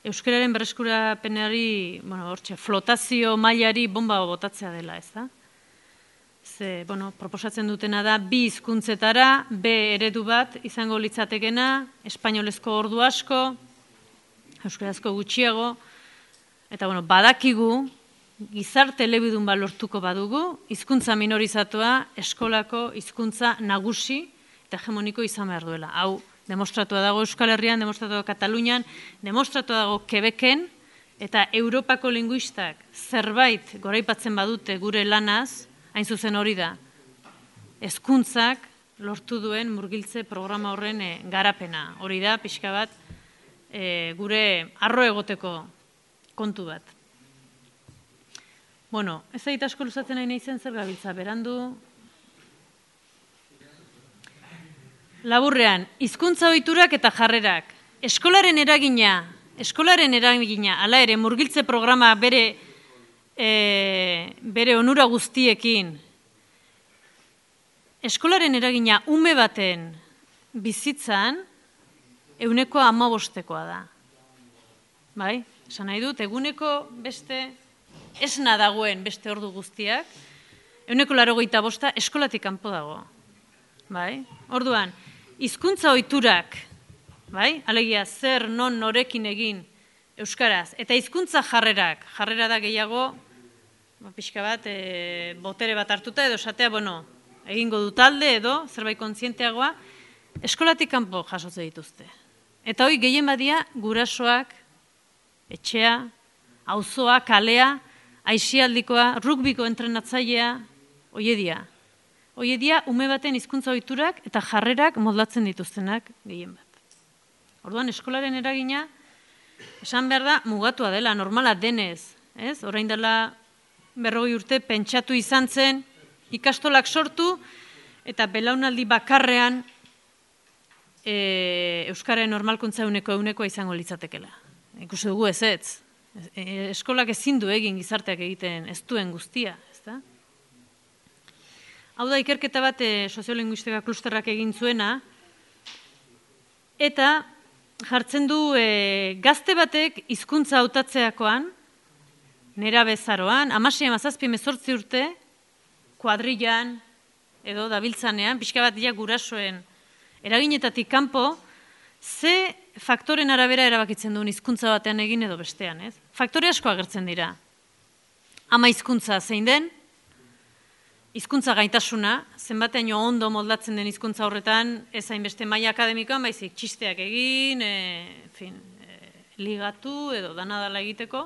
euskararen berreskurapenari, bueno, hortxe, flotazio mailari bomba botatzea dela, ez da? Ze, bueno, proposatzen dutena da, bi hizkuntzetara, B eredu bat izango litzatekena, espainolezko ordu asko, euskarazko gutxiago, eta, bueno, badakigu, gizarte elebidun bat lortuko badugu, hizkuntza minorizatua eskolako hizkuntza nagusi eta hegemoniko izan behar duela. Hau, demostratua dago Euskal Herrian, demostratua dago Katalunian, demostratua dago Quebecen, eta Europako linguistak zerbait goraipatzen badute gure lanaz, hain zuzen hori da, hezkuntzak lortu duen murgiltze programa horren e, garapena. Hori da, pixka bat, e, gure arro egoteko kontu bat. Bueno, ez zait asko luzatzen nahi naizen zer gabiltza, berandu. Laburrean, hizkuntza ohiturak eta jarrerak. Eskolaren eragina, eskolaren eragina, hala ere, murgiltze programa bere, e, bere onura guztiekin. Eskolaren eragina ume baten bizitzan, eguneko hamabostekoa da. Bai, esan nahi dut, eguneko beste, esna dagoen beste ordu guztiak, eguneko laurogeita bosta eskolatik kanpo dago. Bai, orduan, hizkuntza ohiturak, bai, alegia zer non norekin egin euskaraz, eta hizkuntza jarrerak, jarrera da gehiago, pixka bat, e, botere bat hartuta edo esatea, bueno, egingo du talde edo zerbait kontzienteagoa, eskolatik kanpo jasotze dituzte. Eta hoi gehien badia gurasoak, etxea, auzoa, kalea, aisialdikoa, rugbiko entrenatzailea, oiedia. Oiedia, ume baten hizkuntza ohiturak eta jarrerak moldatzen dituztenak gehien bat. Orduan, eskolaren eragina, esan behar da, mugatua dela, normala denez. Ez? Orain dela berrogei urte pentsatu izan zen, ikastolak sortu, eta belaunaldi bakarrean e, Euskararen normalkuntza euneko eunekoa izango litzatekela. Ikusi dugu ez ez. Eskolak ezin du egin gizarteak egiten ez duen guztia, ezta? Hau da, ikerketa bat soziolinguistika klusterrak egin zuena, eta jartzen du e, gazte batek hizkuntza hautatzeakoan, nera bezaroan, hamasei hamazazpi hemezortzi urte, kuadrillan, edo dabiltzanean, pixka bat dira gurasoen eraginetatik kanpo, ze faktoren arabera erabakitzen duen hizkuntza batean egin edo bestean, ez? Faktore asko agertzen dira. Ama hizkuntza zein den, hizkuntza gaitasuna, zenbateaino ondo moldatzen den hizkuntza horretan, ez hainbeste maila akademikoan, baizik txisteak egin, e, fin, e, ligatu edo danadala egiteko.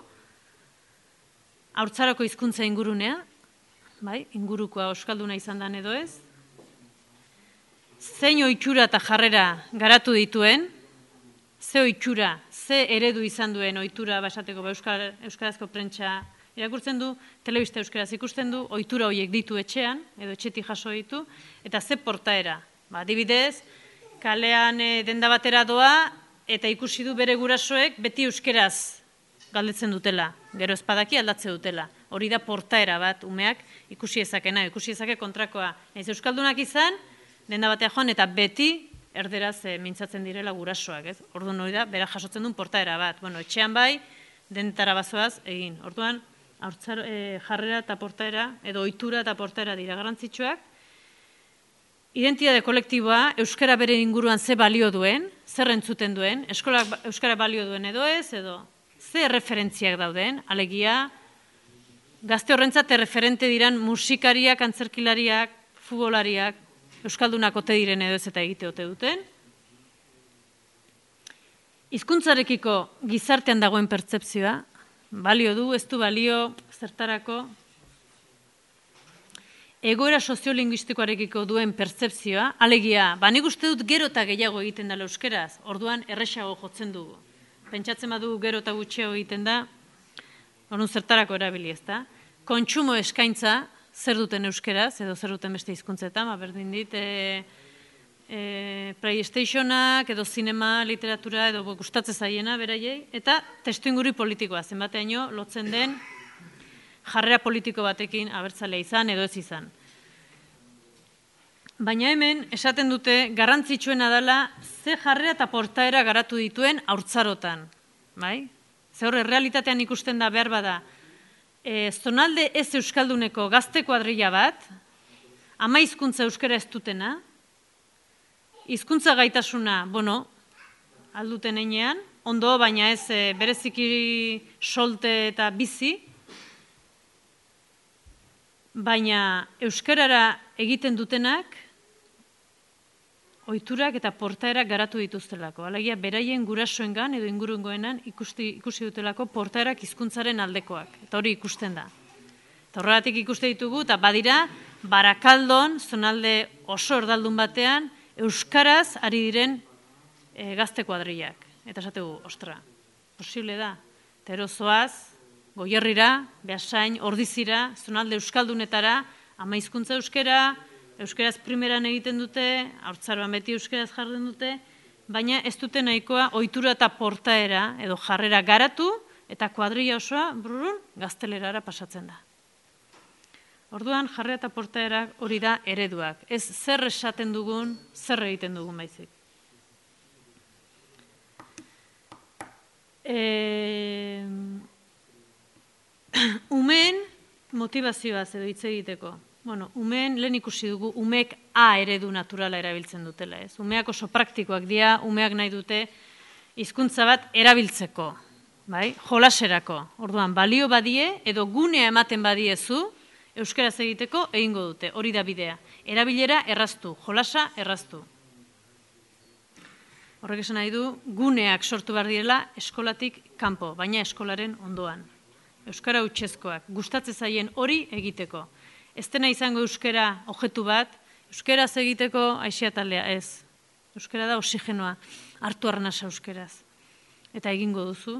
Haurtzaroko hizkuntza ingurunea, bai, ingurukoa euskalduna izan dan edo ez. Zein ohitura eta jarrera garatu dituen, ze ohitura, ze eredu izan duen ohitura basateko euskal, euskarazko prentsa irakurtzen du, telebista euskaraz ikusten du, ohitura horiek ditu etxean, edo etxetik jaso ditu, eta ze portaera. Ba, adibidez, kalean e, denda batera doa, eta ikusi du bere gurasoek beti euskeraz galdetzen dutela, gero espadaki aldatze dutela. Hori da portaera bat, umeak ikusi ezakena, ikusi ezake kontrakoa. Naiz euskaldunak izan, denda batea joan, eta beti erderaz e, mintzatzen direla gurasoak, ez? Orduan hori da, bera jasotzen duen portaera bat. Bueno, etxean bai, dentara bazoaz egin. Orduan, haurtzar, e, jarrera eta portaera, edo ohitura eta portaera dira garrantzitsuak. Identitate kolektiboa, euskara bere inguruan ze balio duen, zer entzuten duen, eskolak euskara balio duen edo ez, edo ze referentziak dauden, alegia, gazte horrentzat erreferente diran musikariak, antzerkilariak, futbolariak, euskaldunak ote diren edo ez eta egite ote duten. Hizkuntzarekiko gizartean dagoen pertzepzioa, balio du, ez du balio, zertarako, egoera soziolinguistikoarekiko duen pertzepzioa, alegia, ba nik uste dut gero eta gehiago egiten dela euskeraz, orduan erresago jotzen dugu. Pentsatzen badu gero eta gutxiago egiten da, orduan zertarako erabili ez da. Kontsumo eskaintza, zer duten euskeraz, edo zer duten beste hizkuntzetan, ba berdin dit, e, e, playstationak, edo zinema, literatura, edo gustatzen zaiena, beraiei, eta testuinguru politikoa, zenbateaino lotzen den jarrera politiko batekin abertzalea izan edo ez izan. Baina hemen, esaten dute, garrantzitsuena dela ze jarrera eta portaera garatu dituen haurtzarotan. Bai? Ze horre, realitatean ikusten da behar bada, e, zonalde ez euskalduneko gazte kuadrilla bat, ama hizkuntza euskara ez dutena, hizkuntza gaitasuna, bueno, alduten einean, ondo, baina ez e, bereziki solte eta bizi, baina euskarara egiten dutenak ohiturak eta portaerak garatu dituztelako. Alegia, beraien gurasoengan edo ingurungoenan ikusti, ikusi dutelako portaerak hizkuntzaren aldekoak. Eta hori ikusten da. Eta horregatik ikuste ditugu, eta badira, Barakaldon, zonalde oso erdaldun batean, euskaraz ari diren e, gazte kuadrillak. Eta esategu, ostra, posible da. Eta erozoaz, Goierrira, Beasain, Ordizira, zonalde euskaldunetara, ama hizkuntza euskera, euskeraz primeran egiten dute, haurtzaroan beti euskeraz jardun dute, baina ez dute nahikoa ohitura eta portaera edo jarrera garatu eta kuadrilla osoa brurun gaztelerara pasatzen da. Orduan jarrera eta portaera hori da ereduak. Ez zer esaten dugun, zer egiten dugun baizik. E... Umeen motivazioaz edo hitz egiteko. Bueno, umeen lehen ikusi dugu, umeek A eredu naturala erabiltzen dutela, ez? Umeak oso praktikoak dira, umeak nahi dute hizkuntza bat erabiltzeko, bai? Jolaserako. Orduan, balio badie edo gunea ematen badiezu, euskaraz egiteko egingo dute, hori da bidea. Erabilera erraztu, jolasa erraztu. Horrek esan nahi du, guneak sortu behar direla eskolatik kanpo, baina eskolaren ondoan. Euskara hutsezkoak, gustatzen zaien hori egiteko. Ez dena izango euskara objektu bat, euskaraz egiteko aixiataldea ez. Euskara da oxigenoa, hartu arnasa euskaraz. Eta egingo duzu.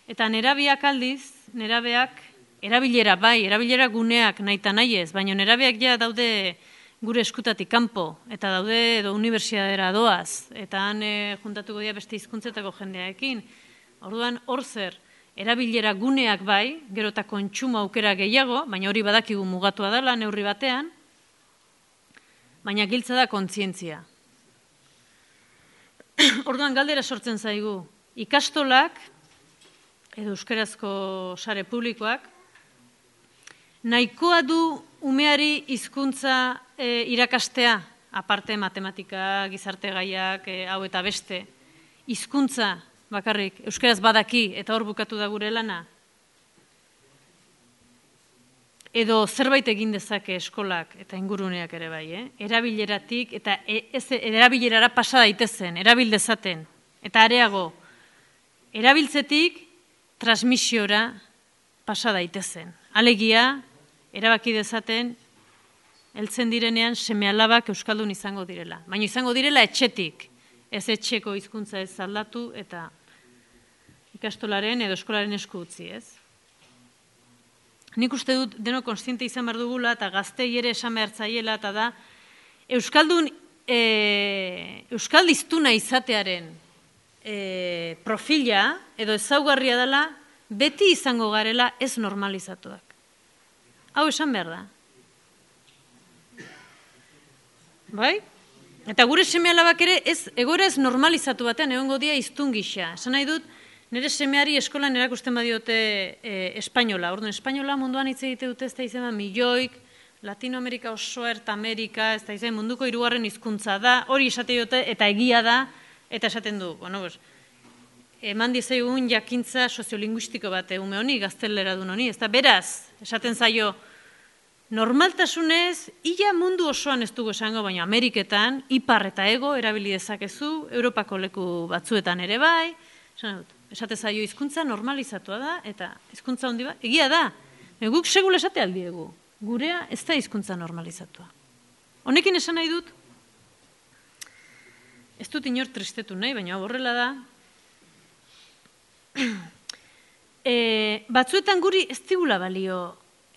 Eta nerabeak aldiz, nerabeak erabilera bai, erabilera guneak nahita nahi ez, baina nerabeak ja daude gure eskutatik kanpo, eta daude edo unibertsitatera doaz, eta han e, juntatuko dira beste hizkuntzetako jendearekin. Orduan, hor zer, erabilera guneak bai, gero eta kontsumo aukera gehiago, baina hori badakigu mugatua dela neurri batean, baina giltza da kontzientzia. Orduan galdera sortzen zaigu, ikastolak, edo euskarazko sare publikoak, nahikoa du umeari hizkuntza e, irakastea, aparte matematika, gizarte gaiak, e, hau eta beste, hizkuntza bakarrik, euskaraz badaki eta hor bukatu da gure lana. Edo zerbait egin dezake eskolak eta inguruneak ere bai, eh? Erabileratik eta e, ez, erabilerara pasa daitezen, erabil dezaten. Eta areago, erabiltzetik transmisiora pasa daitezen. Alegia, erabaki dezaten, heltzen direnean seme-alabak euskaldun izango direla. Baina izango direla etxetik, ez etxeko hizkuntza ez aldatu eta ikastolaren edo eskolaren esku utzi, ez? Nik uste dut deno konstiente izan behar dugula eta gaztei ere esan behar zaiela eta da euskaldun e, euskaldiztuna izatearen e, profila edo ezaugarria dela beti izango garela ez normalizatuak. Hau esan behar da. Bai? Eta gure seme-alabak ere ez, egoera ez normalizatu batean egongo dia hiztun gisa. Esan nahi dut, nire semeari eskolan erakusten badiote e, espainola. Orduan, espainola munduan hitz egite dute ez da izan milioik, Latinoamerika osoa, Erta Amerika, ez da izan munduko hirugarren hizkuntza da, hori esate dute eta egia da, eta esaten du. Bueno, pues, eman dizaigun jakintza soziolinguistiko bat ume honi, gaztelera dun honi, ez da beraz, esaten zaio, normaltasunez, ia mundu osoan ez dugu esango, baina Ameriketan, ipar eta ego erabili dezakezu, Europako leku batzuetan ere bai, esate zaio hizkuntza normalizatua da, eta hizkuntza handi bat, egia da, guk segul esate aldiegu, gurea ez da hizkuntza normalizatua. Honekin esan nahi dut, ez dut inor tristetu nahi, baina horrela da, e, batzuetan guri ez digula balio,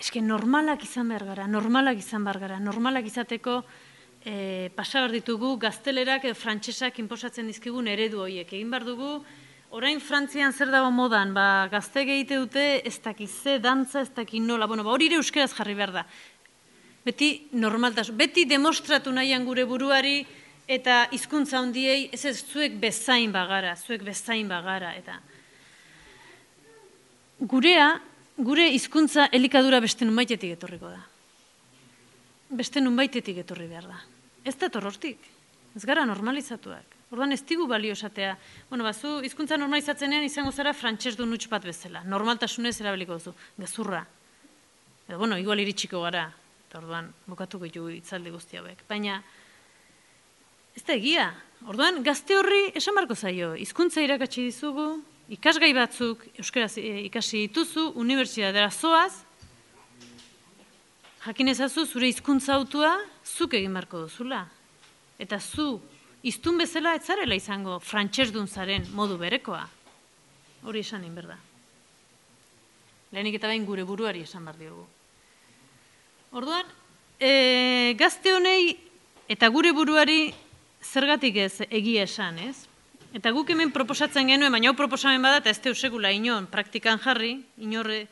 eske normalak izan behar gara, normalak izan behar gara, normalak izateko e, pasa behar ditugu gaztelerak edo frantsesak inposatzen dizkigun eredu horiek. Egin behar dugu, orain Frantzian zer dago modan, ba, gazte egite dute ez dakiz ze dantza, ez dakiz nola, bueno, ba, hori ere euskeraz jarri behar da. Beti normaltasun, beti demostratu nahian gure buruari eta hizkuntza handiei, ez ez zuek bezain bagara, zuek bezain bagara, eta gurea, gure hizkuntza elikadura beste nunbaitetik etorriko da. Beste nunbaitetik etorri behar da. Ez da torrortik. Ez gara normalizatuak. Orduan ez digu balio esatea. Bueno, bazu, hizkuntza normalizatzenean izango zara frantses dun huts bat bezala. Normaltasunez erabiliko duzu. Gezurra. Edo, bueno, igual iritsiko gara. Eta orduan, bukatuko ditugu hitzaldi guzti hauek. Baina, ez da egia. Orduan, gazte horri esan barko zaio. Hizkuntza irakatsi dizugu, ikasgai batzuk euskaraz ikasi dituzu, unibertsitatera zoaz, jakin ezazu zure hizkuntza autua zuk egin beharko duzula. Eta zu, hiztun bezala ez zarela izango frantsesdun zaren modu berekoa. Hori esan egin berda. lehenik eta bain gure buruari esan behar diogu. Orduan, e, gazte honei eta gure buruari zergatik ez egia esan, ez? Eta guk hemen proposatzen genuen, baina hau proposamen bada, eta ez teu sekula inon praktikan jarri, inorre,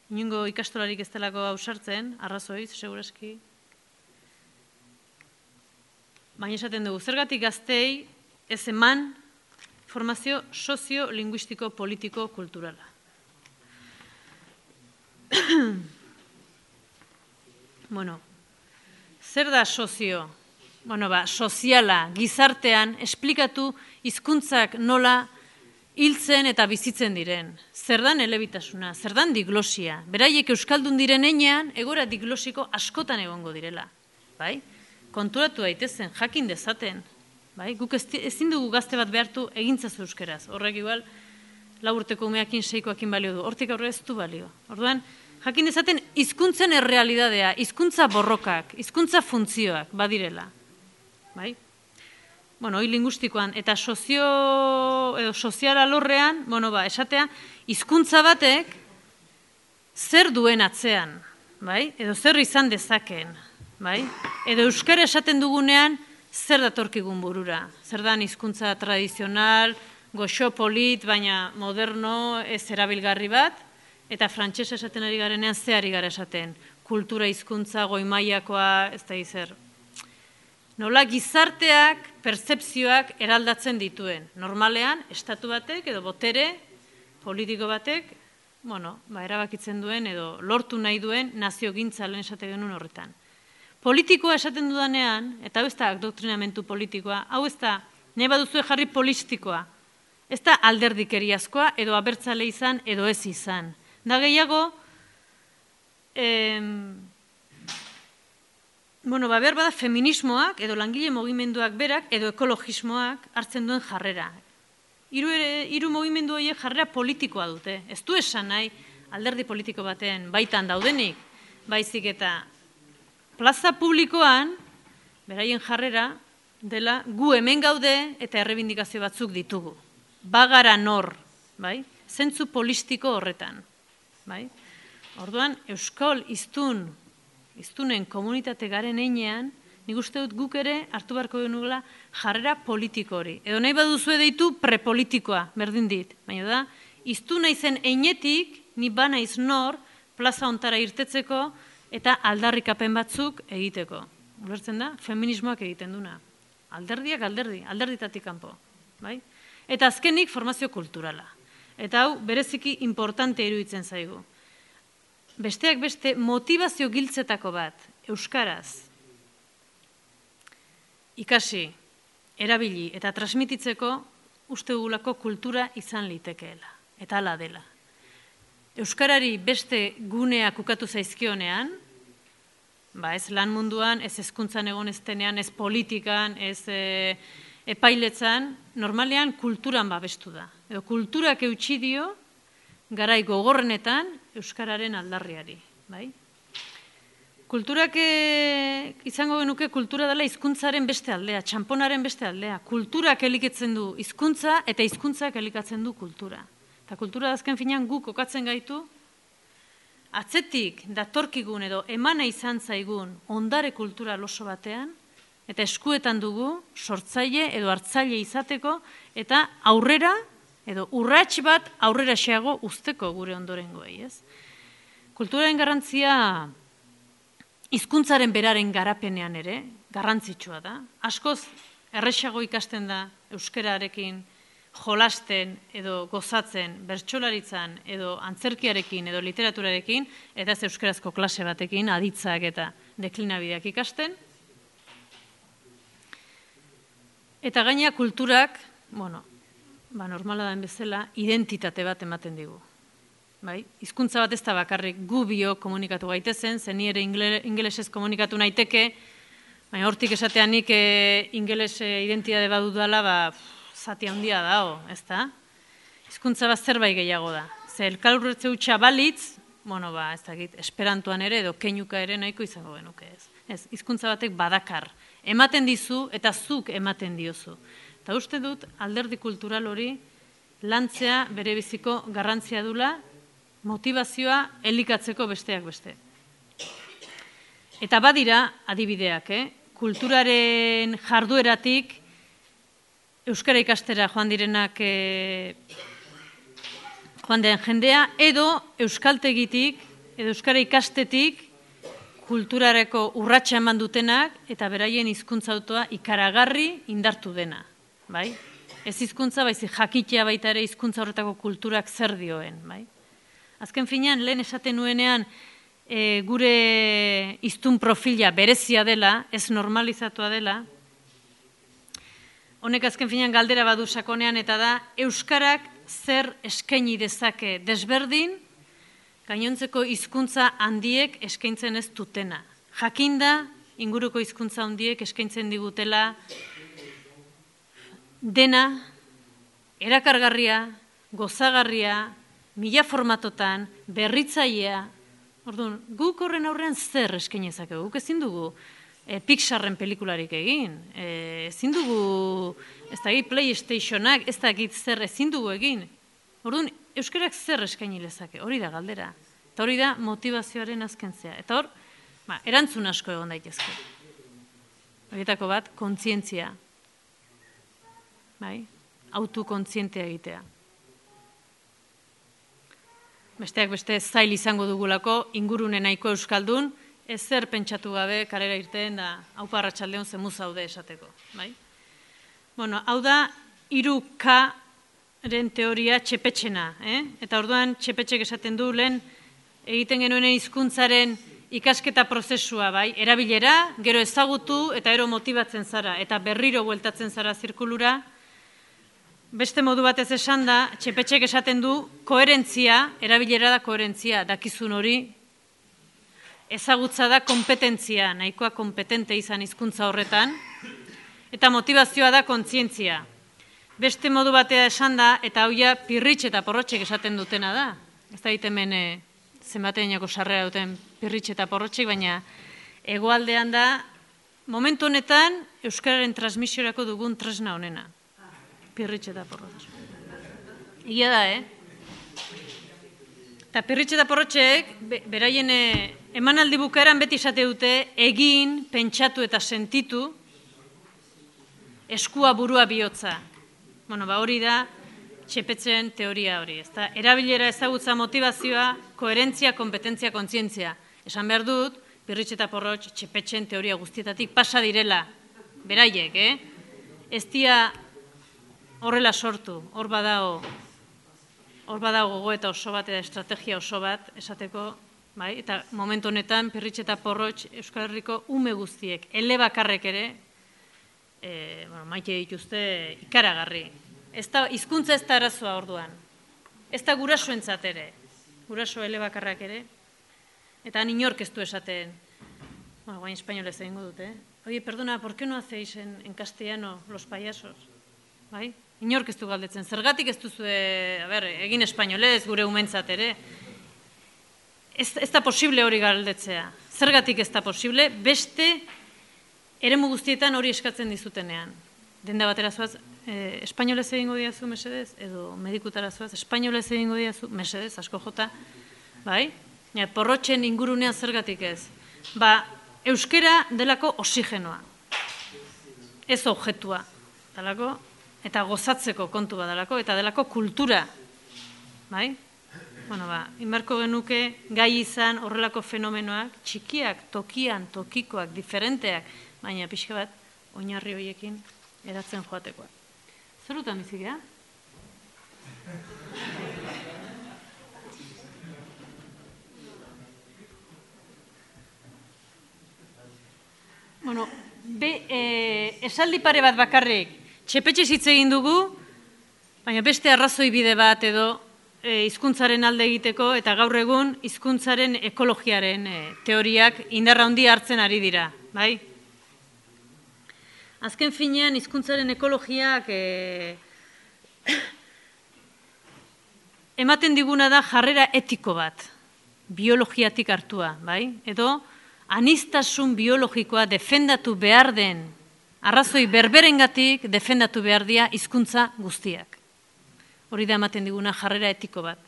inongo ikastolarik ez delako hausartzen, arrazoiz, seguraski. Baina esaten dugu, zergatik gaztei ez eman formazio sozio-linguistiko, politiko, kulturala. Bueno, zer da sozio? Bueno, ba, soziala, gizartean, esplikatu hizkuntzak nola hiltzen eta bizitzen diren. Zer dan elebitasuna, zer dan diglosia. Beraiek euskaldun diren enean, egora diglosiko askotan egongo direla. Bai? Konturatu daitezen, jakin dezaten. Bai? Guk ezin dugu gazte bat behartu egintzazu euskeraz. Horrek igual, lau urteko umeakin, seikoakin balio du. Hortik aurre ez du balio. Orduan, jakin dezaten hizkuntzen errealidadea, hizkuntza borrokak, hizkuntza funtzioak badirela. Bai? Bueno, hoi lingustikoan, eta sozio, edo sozial alorrean, bueno, ba, esatea, hizkuntza batek zer duen atzean, bai? Edo zer izan dezakeen, bai? Edo euskara esaten dugunean, zer datorkigun burura? Zer dan hizkuntza tradizional, goxo polit, baina moderno, ez erabilgarri bat, eta frantsesa esaten ari garenean, ze ari gara esaten? Kultura hizkuntza, goi-mailakoa, ez da izer. Nola gizarteak, pertzepzioak eraldatzen dituen. Normalean, estatu batek edo botere politiko batek, bueno, ba, erabakitzen duen edo lortu nahi duen naziogintza lehen esate genuen horretan. Politikoa esaten dudanean, eta hau ez da doktrinamentu politikoa, hau ez da, nahi baduzue jarri politikoa, ez da alderdikeriazkoa edo abertzale izan edo ez izan. Da gehiago, em, Bueno, ba, behar bada feminismoak, edo langile mugimenduak berak, edo ekologismoak hartzen duen jarrera. Hiru hiru mugimendu horiek jarrera politikoa dute. Ez du esan nahi alderdi politiko baten baitan daudenik, baizik eta plaza publikoan, beraien jarrera, dela gu hemen gaude eta errebindikazio batzuk ditugu. Bagara nor, bai? Zentzu politiko horretan, bai? Orduan, euskal hiztun iztunen komunitate garen einean, nik uste dut guk ere hartu beharko genugula jarrera politiko hori. Edo nahi baduzue deitu prepolitikoa, berdin dit. Baina da, iztuna izen einetik, ni bana iz nor, plaza ontara irtetzeko eta aldarrikapen batzuk egiteko. Ulertzen da, feminismoak egiten duna. Alderdiak alderdi, alderditatik kanpo. Bai? Eta azkenik formazio kulturala. Eta hau, bereziki importante iruditzen zaigu. Besteak beste motivazio giltzetako bat, euskaraz, ikasi, erabili eta transmititzeko uste dugulako kultura izan litekeela, eta hala dela. Euskarari beste guneak ukatu zaizkionean, ba ez lan munduan, ez hezkuntzan egon eztenean, ez politikan, ez e, epailetzan, normalean kulturan babestu da. Edo kulturak eutsi dio, garai gogorrenetan euskararen aldarriari, bai? Kulturak e, izango genuke kultura dela hizkuntzaren beste aldea, txamponaren beste aldea. Kulturak elikatzen du hizkuntza eta hizkuntzak elikatzen du kultura. Eta kultura azken finean guk kokatzen gaitu, atzetik datorkigun edo emana izan zaigun ondare kultura oso batean, eta eskuetan dugu sortzaile edo hartzaile izateko eta aurrera edo urrats bat aurrera xeago usteko gure ondorengoei, ez? Kulturaren garrantzia hizkuntzaren beraren garapenean ere garrantzitsua da. Askoz erresago ikasten da euskararekin jolasten edo gozatzen, bertsolaritzan edo antzerkiarekin edo literaturarekin, eta ez euskarazko klase batekin, aditzak eta deklinabideak ikasten. Eta gaina kulturak, bueno, ba, normala den bezala, identitate bat ematen digu. Bai? Hizkuntza bat ez da bakarrik gu bio komunikatu gaitezen, zen ni ere ingelesez komunikatu naiteke, baina hortik esateanik e, ingeles identitate bat dudala, ba, zati handia dago, ez da? Hizkuntza bat zerbait gehiago da. Ze elkarretze hutsa balitz, bueno, ba, ez dakit, esperantuan ere edo keinuka ere nahiko izango genuke, ez? Ez, hizkuntza batek badakar. Ematen dizu eta zuk ematen diozu. Eta uste dut alderdi kultural hori lantzea bere biziko garrantzia dula, motivazioa elikatzeko besteak beste. Eta badira adibideak, eh? Kulturaren jardueratik euskara ikastera joan direnak eh, joan den jendea, edo euskaltegitik, edo euskara ikastetik kulturareko urratsa eman dutenak eta beraien hizkuntza autoa ikaragarri indartu dena, bai? Ez hizkuntza baizik jakitea baita ere hizkuntza horretako kulturak zer dioen, bai? Azken finean, lehen esaten nuenean e, gure hiztun profila berezia dela, ez normalizatua dela, honek azken finean galdera badu sakonean eta da, euskarak zer eskaini dezake desberdin, gainontzeko hizkuntza handiek eskaintzen ez dutena. Jakinda, inguruko hizkuntza handiek eskaintzen digutela dena, erakargarria, gozagarria, mila formatotan, berritzailea. Orduan, guk horren aurrean zer eskainezake? Guk ezin dugu e, Pixarren pelikularik egin, e, ezin dugu, ez da PlayStationak, ez da zer ezin dugu egin. Orduan, euskarak zer eskaini lezake? Hori da galdera. Eta hori da motivazioaren azkentzea. Eta hor, ba, erantzun asko egon daitezke. Horietako bat, kontzientzia. Bai? Autokontzientea egitea. Besteak beste zail izango dugulako, ingurune nahiko euskaldun, ezer pentsatu gabe kalera irten da aupa arratsaldeon zemu zaude esateko. Bai? Bueno, hau da, hiru K-ren teoria txepetxena. Eh? Eta orduan txepetxek esaten du lehen egiten genuenen hizkuntzaren ikasketa prozesua, bai? Erabilera, gero ezagutu eta ero motibatzen zara, eta berriro bueltatzen zara zirkulura. Beste modu batez esan da, txepetxek esaten du, koherentzia, erabilera da koherentzia, dakizun hori, ezagutza da kompetentzia, nahikoa kompetente izan hizkuntza horretan, eta motivazioa da kontzientzia. Beste modu batea esan da, eta hauia pirritx eta porrotxek esaten dutena da. Ez da hemen e, zenbateinako sarrera duten pirritx eta porrotxek, baina hegoaldean da, momentu honetan, euskararen transmisiorako dugun tresna honena. Pirritx eta porrotx. Egia da, eh? Eta pirritx eta porrotxek, beraien emanaldi bukaeran beti esate dute, egin, pentsatu eta sentitu, eskua burua bihotza. Bueno, ba hori da, txepetzen teoria hori. Ezta? Erabilera ezagutza motivazioa, koherentzia, kompetentzia, kontzientzia. Esan behar dut, pirritx eta porrotx txepetzen teoria guztietatik pasa direla. Beraiek, eh? Ez dia horrela sortu, hor badago, hor badago gogo eta oso bat, eta estrategia oso bat, esateko, bai? Eta momentu honetan, pirritx eta porrotx Euskal Herriko ume guztiek, elebakarrek ere, e, bueno, maite dituzte ikaragarri. Ez da, hizkuntza ez da arazoa orduan. Ez da gurasoentzat ere, guraso elebakarrak ere, eta han inork ez du esaten, bueno, guain espainolez egingo dute, eh? Oye, perdona, ¿por qué no hacéis en, en castellano los payasos? Bai? Inork ez du galdetzen. Zergatik ez duzue, a ber, egin espainolez, gure umentzat ere. Ez, ez da posible hori galdetzea. Zergatik ez da posible, beste eremu guztietan hori eskatzen dizutenean. Denda batera zuaz, eh, espainolez egingo diazu, mesedez, edo medikutara zuaz, espainolez egingo diazu, mesedez, asko jota. Bai? Ja, porrotxen ingurunean zergatik ez. Ba, euskera delako oxigenoa. Ez objetua. Delako, eta gozatzeko kontu badalako, eta delako kultura. Bai? Bueno, ba, inbarko genuke gai izan horrelako fenomenoak, txikiak, tokian, tokikoak, diferenteak, baina pixka bat, oinarri horiekin eratzen joatekoa. Zerutan bizik, ja? Bueno, be, eh, esaldi pare bat bakarrik, txepetxe hitz egin dugu, baina beste arrazoi bide bat edo e, hizkuntzaren alde egiteko eta gaur egun hizkuntzaren ekologiaren e, teoriak indarra handi hartzen ari dira, bai? Azken finean hizkuntzaren ekologiak e, ematen diguna da jarrera etiko bat, biologiatik hartua, bai? Edo aniztasun biologikoa defendatu behar den arrazoi berberengatik defendatu behar dira hizkuntza guztiak. Hori da ematen diguna jarrera etiko bat.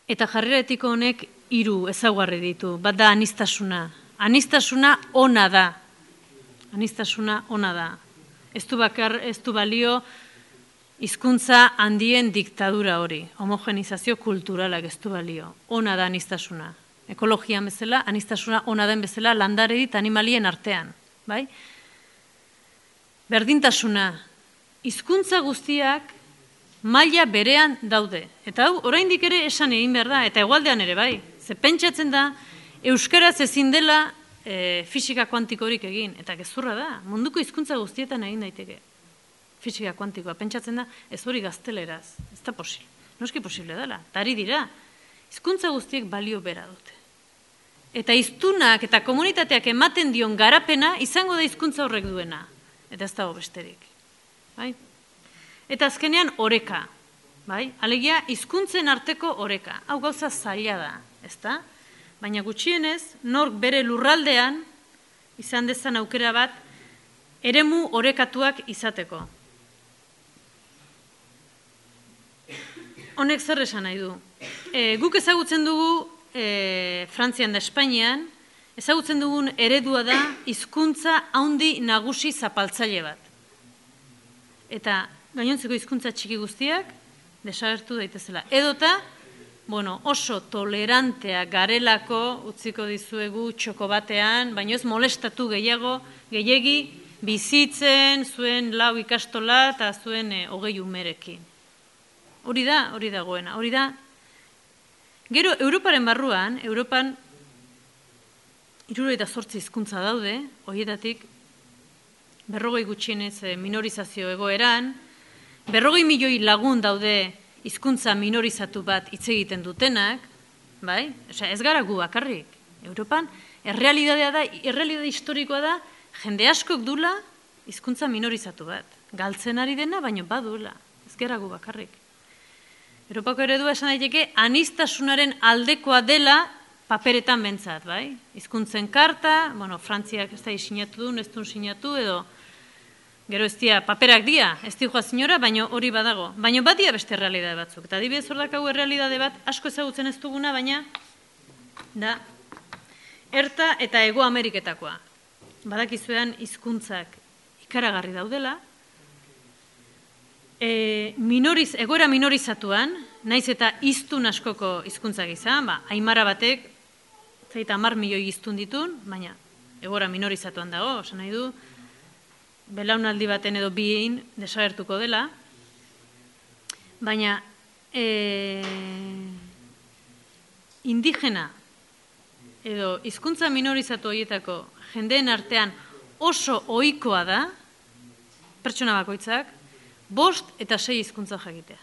Eta jarrera etiko honek hiru ezaugarri ditu. Bat da aniztasuna. Aniztasuna ona da. Aniztasuna ona da. Ez du bakar, ez du balio hizkuntza handien diktadura hori. Homogenizazio kulturalak ez du balio. Ona da aniztasuna. Ekologian bezala, aniztasuna ona den bezala landaredi eta animalien artean. Bai? Berdintasuna. Hizkuntza guztiak maila berean daude. Eta hau, oraindik ere esan egin behar da, eta hegoaldean ere bai. Ze pentsatzen da, euskaraz ezin dela e, fisika kuantikorik egin. Eta gezurra da, munduko hizkuntza guztietan egin daiteke. Fisika kuantikoa, pentsatzen da, ez hori gazteleraz. Ez da posible. Noski posible dela. Tari dira, hizkuntza guztiek balio bera dute. Eta hiztunak eta komunitateak ematen dion garapena, izango da hizkuntza horrek duena. Eta ez dago besterik. Bai? Eta azkenean oreka, bai? Alegia, hizkuntzen arteko oreka. Hau gauza zaila da, ezta? Baina gutxienez, nork bere lurraldean, izan dezan aukera bat, eremu orekatuak izateko. Honek zer esan nahi du? E, guk ezagutzen dugu, e, Frantzian da Espainian, ezagutzen dugun eredua da, hizkuntza handi nagusi zapaltzaile bat. Eta gainontzeko hizkuntza txiki guztiak desagertu daitezela. Edota, bueno, oso tolerantea garelako utziko dizuegu txoko batean, baina ez molestatu gehiago, gehiegi bizitzen zuen lau ikastola eta zuen e, hogei umerekin. Hori da, hori dagoena, hori da. Gero, Europaren barruan, Europan hirurogeita zortzi hizkuntza daude, horietatik berrogei gutxienez minorizazio egoeran, berrogei milioi lagun daude hizkuntza minorizatu bat hitz egiten dutenak, bai? Osea, ez gara gu bakarrik. Europan, errealitatea da, errealitate historikoa da, jende askok dula hizkuntza minorizatu bat. Galtzen ari dena, baino badula. Ez gara gu bakarrik. Europako eredua esan daiteke, aniztasunaren aldekoa dela paperetan bentsat, bai? Hizkuntzen karta, bueno, Frantziak ez da sinatu duen, ez duen sinatu, edo gero ez dia, paperak dia, ez di joa zinora, baina hori badago. Baina bat dia beste errealidade batzuk. Eta adibidez hor dakagu errealidade bat, asko ezagutzen ez duguna, baina da, Erta eta Hego Ameriketakoa. Badakizuean hizkuntzak ikaragarri daudela, e, minoriz, egoera minorizatuan, naiz eta hiztun askoko hizkuntzak izan, ba, aimara batek, zaita hamar milioi hiztun ditun, baina egoera minorizatuan dago, osan nahi du, belaunaldi baten edo bien desagertuko dela, baina e, indigena edo hizkuntza minorizatu horietako jendeen artean oso ohikoa da, pertsona bakoitzak, bost eta sei hizkuntza jakitea.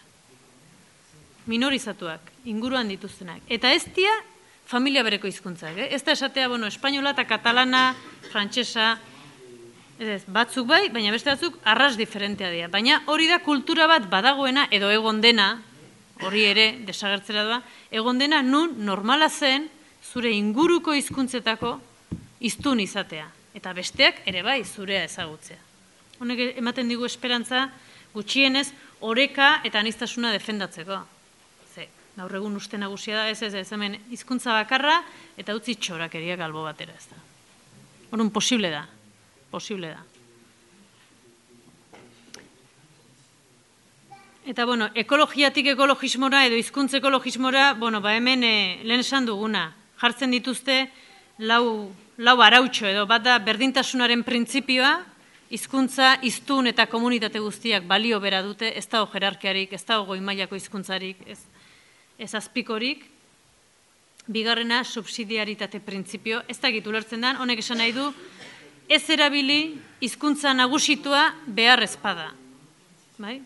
Minorizatuak, inguruan dituztenak. Eta ez dira familia bereko hizkuntzak. Eh? Ez da esatea, bueno, espainola eta katalana, frantsesa, ez, batzuk bai, baina beste batzuk arras diferentea dira. Baina hori da kultura bat badagoena, edo egon dena, hori ere desagertzera doa, egon dena nun normala zen zure inguruko hizkuntzetako hiztun izatea. Eta besteak ere bai zurea ezagutzea. Honek ematen digu esperantza gutxienez oreka eta aniztasuna defendatzeko. Ze, gaur egun uste nagusia da, ez ez ez hemen hizkuntza bakarra eta utzi txorakeriak albo batera ez da. Horun posible da. Posible da. Eta, bueno, ekologiatik ekologismora edo hizkuntza ekologismora, bueno, ba hemen e, lehen esan duguna, jartzen dituzte lau, lau arautxo edo, bat da berdintasunaren printzipioa, hizkuntza, hiztun eta komunitate guztiak balio bera dute, ez dago jerarkiarik, ez dago goi mailako hizkuntzarik, ez, ez azpikorik. Bigarrena, subsidiaritate printzipio, ez dakit ulertzen den, honek esan nahi du, ez erabili hizkuntza nagusitua behar ezpada. Bai?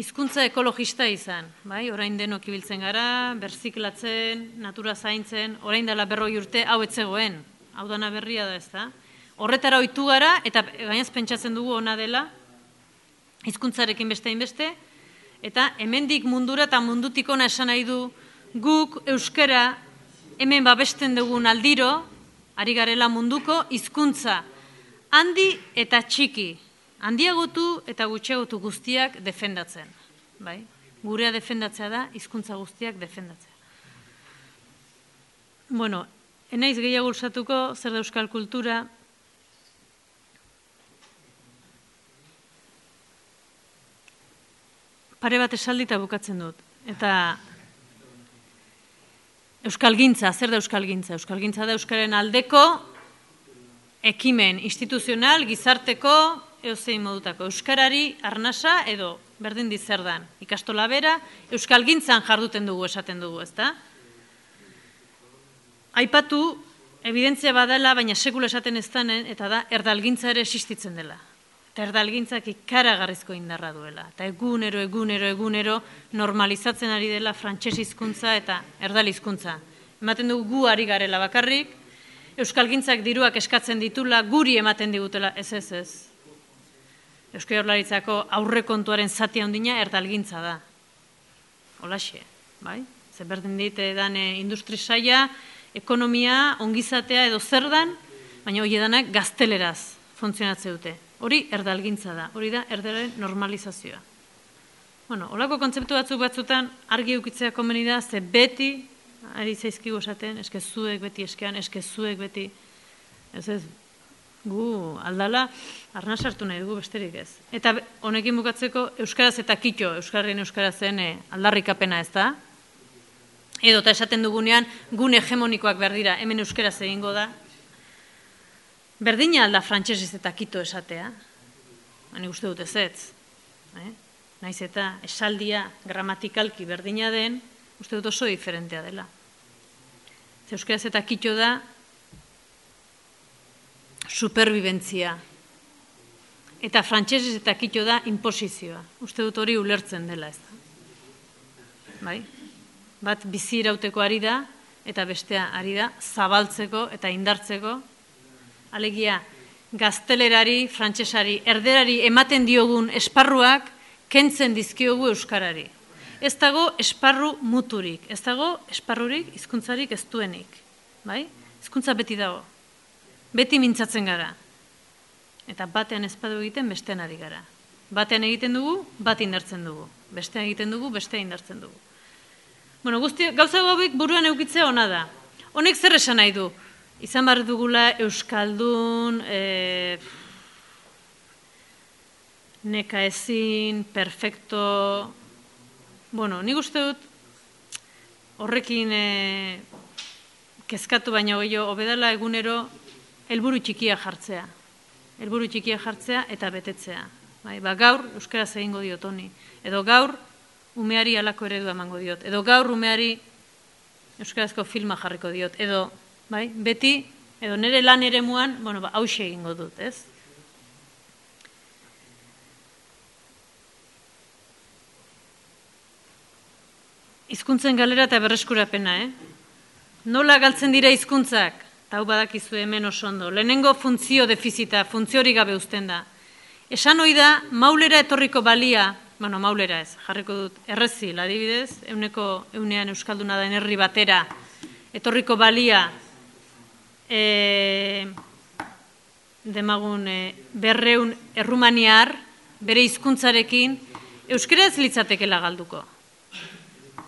Hizkuntza ekologista izan, bai? Orain denok ibiltzen gara, berziklatzen, natura zaintzen, orain dela berroi urte hau etzegoen, hau dana berria da ez da. Horretara ohitu gara, eta gainaz pentsatzen dugu ona dela, hizkuntzarekin beste hainbeste, eta hemendik mundura eta mundutik ona esan nahi du, guk euskara hemen babesten dugun aldiro, ari garela munduko hizkuntza handi eta txiki, handiagotu eta gutxiagotu guztiak defendatzen. Bai? Gurea defendatzea da, hizkuntza guztiak defendatzea. Bueno, enaiz gehiago ulsatuko, zer da euskal kultura. Pare bat esaldita bukatzen dut. Eta euskalgintza, zer da euskalgintza? Euskalgintza da euskaren aldeko ekimen instituzional, gizarteko, eozein modutako. Euskarari arnasa edo berdin dizerdan. Ikastola bera, euskalgintzan jarduten dugu, esaten dugu, ezta? Aipatu, evidentzia badala, baina sekula esaten ez danen, eta da, erdalgintza ere existitzen dela. Eta erdalgintzak ikaragarrizko indarra duela. Eta egunero, egunero, egunero normalizatzen ari dela frantses hizkuntza eta erdal hizkuntza. Ematen dugu gu ari garela bakarrik, euskalgintzak diruak eskatzen ditula, guri ematen digutela, ez ez ez. Eusko Jaurlaritzako aurrekontuaren zati handina erdalgintza da. Holaxe, bai? Zer berdin dit edan industri saia, ekonomia, ongizatea edo zer dan, baina hori edanak gazteleraz funtzionatze dute. Hori erdalgintza da, hori da erdaren normalizazioa. Bueno, holako kontzeptu batzuk batzutan argi eukitzea komeni da, ze beti, ari zaizkigu esaten, eske zuek beti eskean, eske zuek beti, ez ez, gu aldala, arna sartu nahi dugu besterik ez. Eta honekin bukatzeko, euskaraz eta kitxo, euskarrien euskarazen aldarrikapena ez da, edo eta esaten dugunean, gune hegemonikoak behar dira, hemen euskaraz egingo da, berdina alda frantsesez eta kito esatea, hani uste dut ez ez, eh? Naiz eta esaldia gramatikalki berdina den, uste dut oso diferentea dela. Ze euskaraz eta kito da superbibentzia, eta frantsesez eta kito da imposizioa. Uste dut hori ulertzen dela ez da. Bai? Bat bizi irauteko ari da, eta bestea ari da zabaltzeko eta indartzeko. Alegia, gaztelerari, frantsesari, erderari ematen diogun esparruak kentzen dizkiogu euskarari. Ez dago esparru muturik, ez dago esparrurik, hizkuntzarik ez duenik. Bai? Hizkuntza beti dago. Beti mintzatzen gara. Eta batean ezpadu egiten, bestean ari gara. Batean egiten dugu, bat indartzen dugu. Bestean egiten dugu, bestean indartzen dugu. Bueno, guzti, gauza hauek buruan eukitzea ona da. Honek zer esan nahi du? Izan behar dugula euskaldun, e, neka ezin, perfecto, bueno, nik uste dut horrekin e, kezkatu baina gehiago, obedala egunero helburu txikia jartzea. Helburu txikia jartzea eta betetzea. Bai, ba, gaur euskaraz egingo diot honi. Edo gaur umeari halako eredua emango diot. Edo gaur umeari euskarazko filma jarriko diot. Edo, bai, beti, edo nire lan eremuan, bueno, ba, hauxe egingo dut, ez? Hizkuntzen galera eta berreskurapena, eh? Nola galtzen dira hizkuntzak? Tau badakizu hemen oso ondo. Lehenengo funtzio defizita, funtziorik gabe uzten da. Esan hoi da, maulera etorriko balia, bueno, maulera ez, jarriko dut, errezil, adibidez, euneko eunean euskalduna da herri batera, etorriko balia, e, demagun, e, berreun errumaniar, bere hizkuntzarekin, euskara ez litzatekela galduko.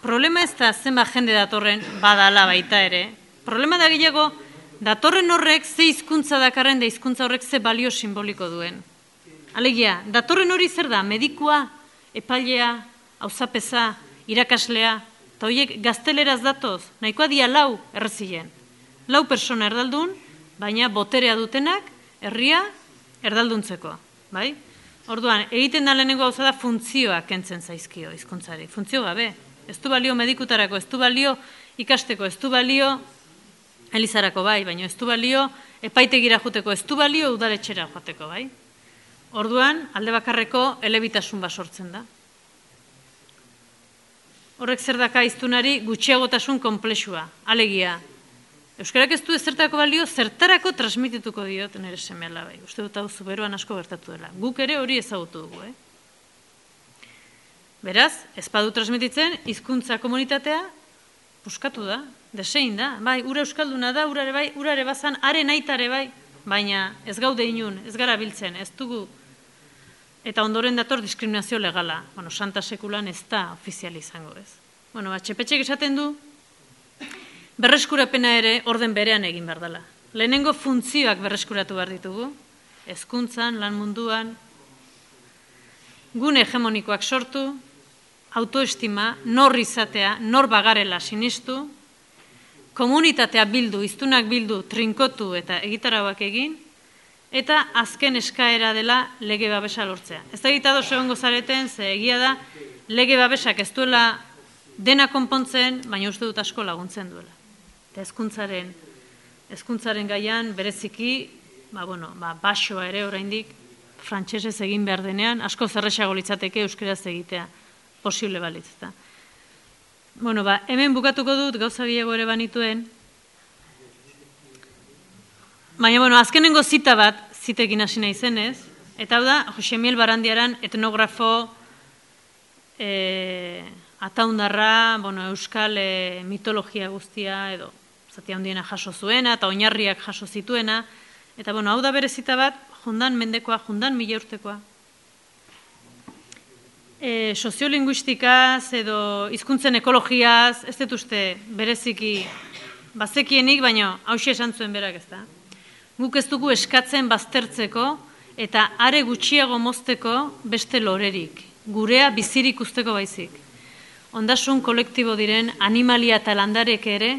Problema ez da zenba jende datorren badala baita ere, problema da gehiago, datorren horrek ze hizkuntza dakarren da hizkuntza horrek ze balio simboliko duen. Alegia, datorren hori zer da, medikua, epailea, auzapeza, irakaslea, eta horiek gazteleraz datoz, nahikoa dia lau errezilen. Lau persona erdaldun, baina boterea dutenak, herria erdalduntzeko. Bai? Orduan, egiten da lehenengo gauza da funtzioa kentzen zaizkio hizkuntzari. Funtzio gabe. Ez du balio medikutarako, ez du balio ikasteko, ez du balio elizarako bai, baina ez du balio epaitegira joteko, ez du balio udaletxera joateko bai. Orduan, alde bakarreko elebitasun bat sortzen da. Horrek zer daka hiztunari gutxiagotasun konplexua, alegia. Euskarak ez du ezertako balio, zertarako transmitituko diot nire seme alabai. Uste dut hau zuberoan asko gertatu dela. Guk ere hori ezagutu dugu, eh? Beraz, ez badu transmititzen, hizkuntza komunitatea puskatu da, desein da. Bai, ura euskalduna da, urare bai, urare bazan, are naitare bai, baina ez gaude inun, ez gara biltzen, ez dugu eta ondoren dator diskriminazio legala. Bueno, Santa Sekulan ez da ofizial izango ez. Bueno, ba, Txepetxek esaten du, berreskurapena ere orden berean egin behar dela. Lehenengo funtzioak berreskuratu behar ditugu, hezkuntzan, lan munduan, gune hegemonikoak sortu, autoestima, nor izatea, nor bagarela sinistu, komunitatea bildu, hiztunak bildu, trinkotu eta egitarauak egin, eta azken eskaera dela lege babesa lortzea. Ez da egitado segongo zareten, ze egia da, lege babesak ez duela dena konpontzen, baina uste dut asko laguntzen duela. Eta hezkuntzaren, hezkuntzaren gaian bereziki, ba, bueno, ba, basoa ere oraindik frantsesez egin behar denean, asko zerrexago litzateke euskeraz egitea posible balitz. Bueno, ba, hemen bukatuko dut gauza gehiago ere banituen, baina, bueno, azkenengo zita bat zitekin hasi nahi zenez, eta hau da, Jose Miel Barandiaran etnografo e, ataundarra, bueno, euskal e, mitologia guztia, edo zati handiena jaso zuena, eta oinarriak jaso zituena, eta, bueno, hau da bere zita bat, jundan mendekoa, jundan mila urtekoa. E, soziolinguistikaz, edo hizkuntzen ekologiaz, ez dut uste bereziki bazekienik, baina hauxe esan zuen berak ez da. Guk ez dugu eskatzen baztertzeko eta are gutxiago mozteko beste lorerik, gurea bizirik usteko baizik. Ondasun kolektibo diren animalia eta landarek ere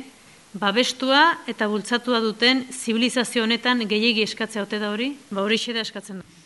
babestua eta bultzatua duten zibilizazio honetan gehiegi eskatzea ote da hori, ba hori da eskatzen da.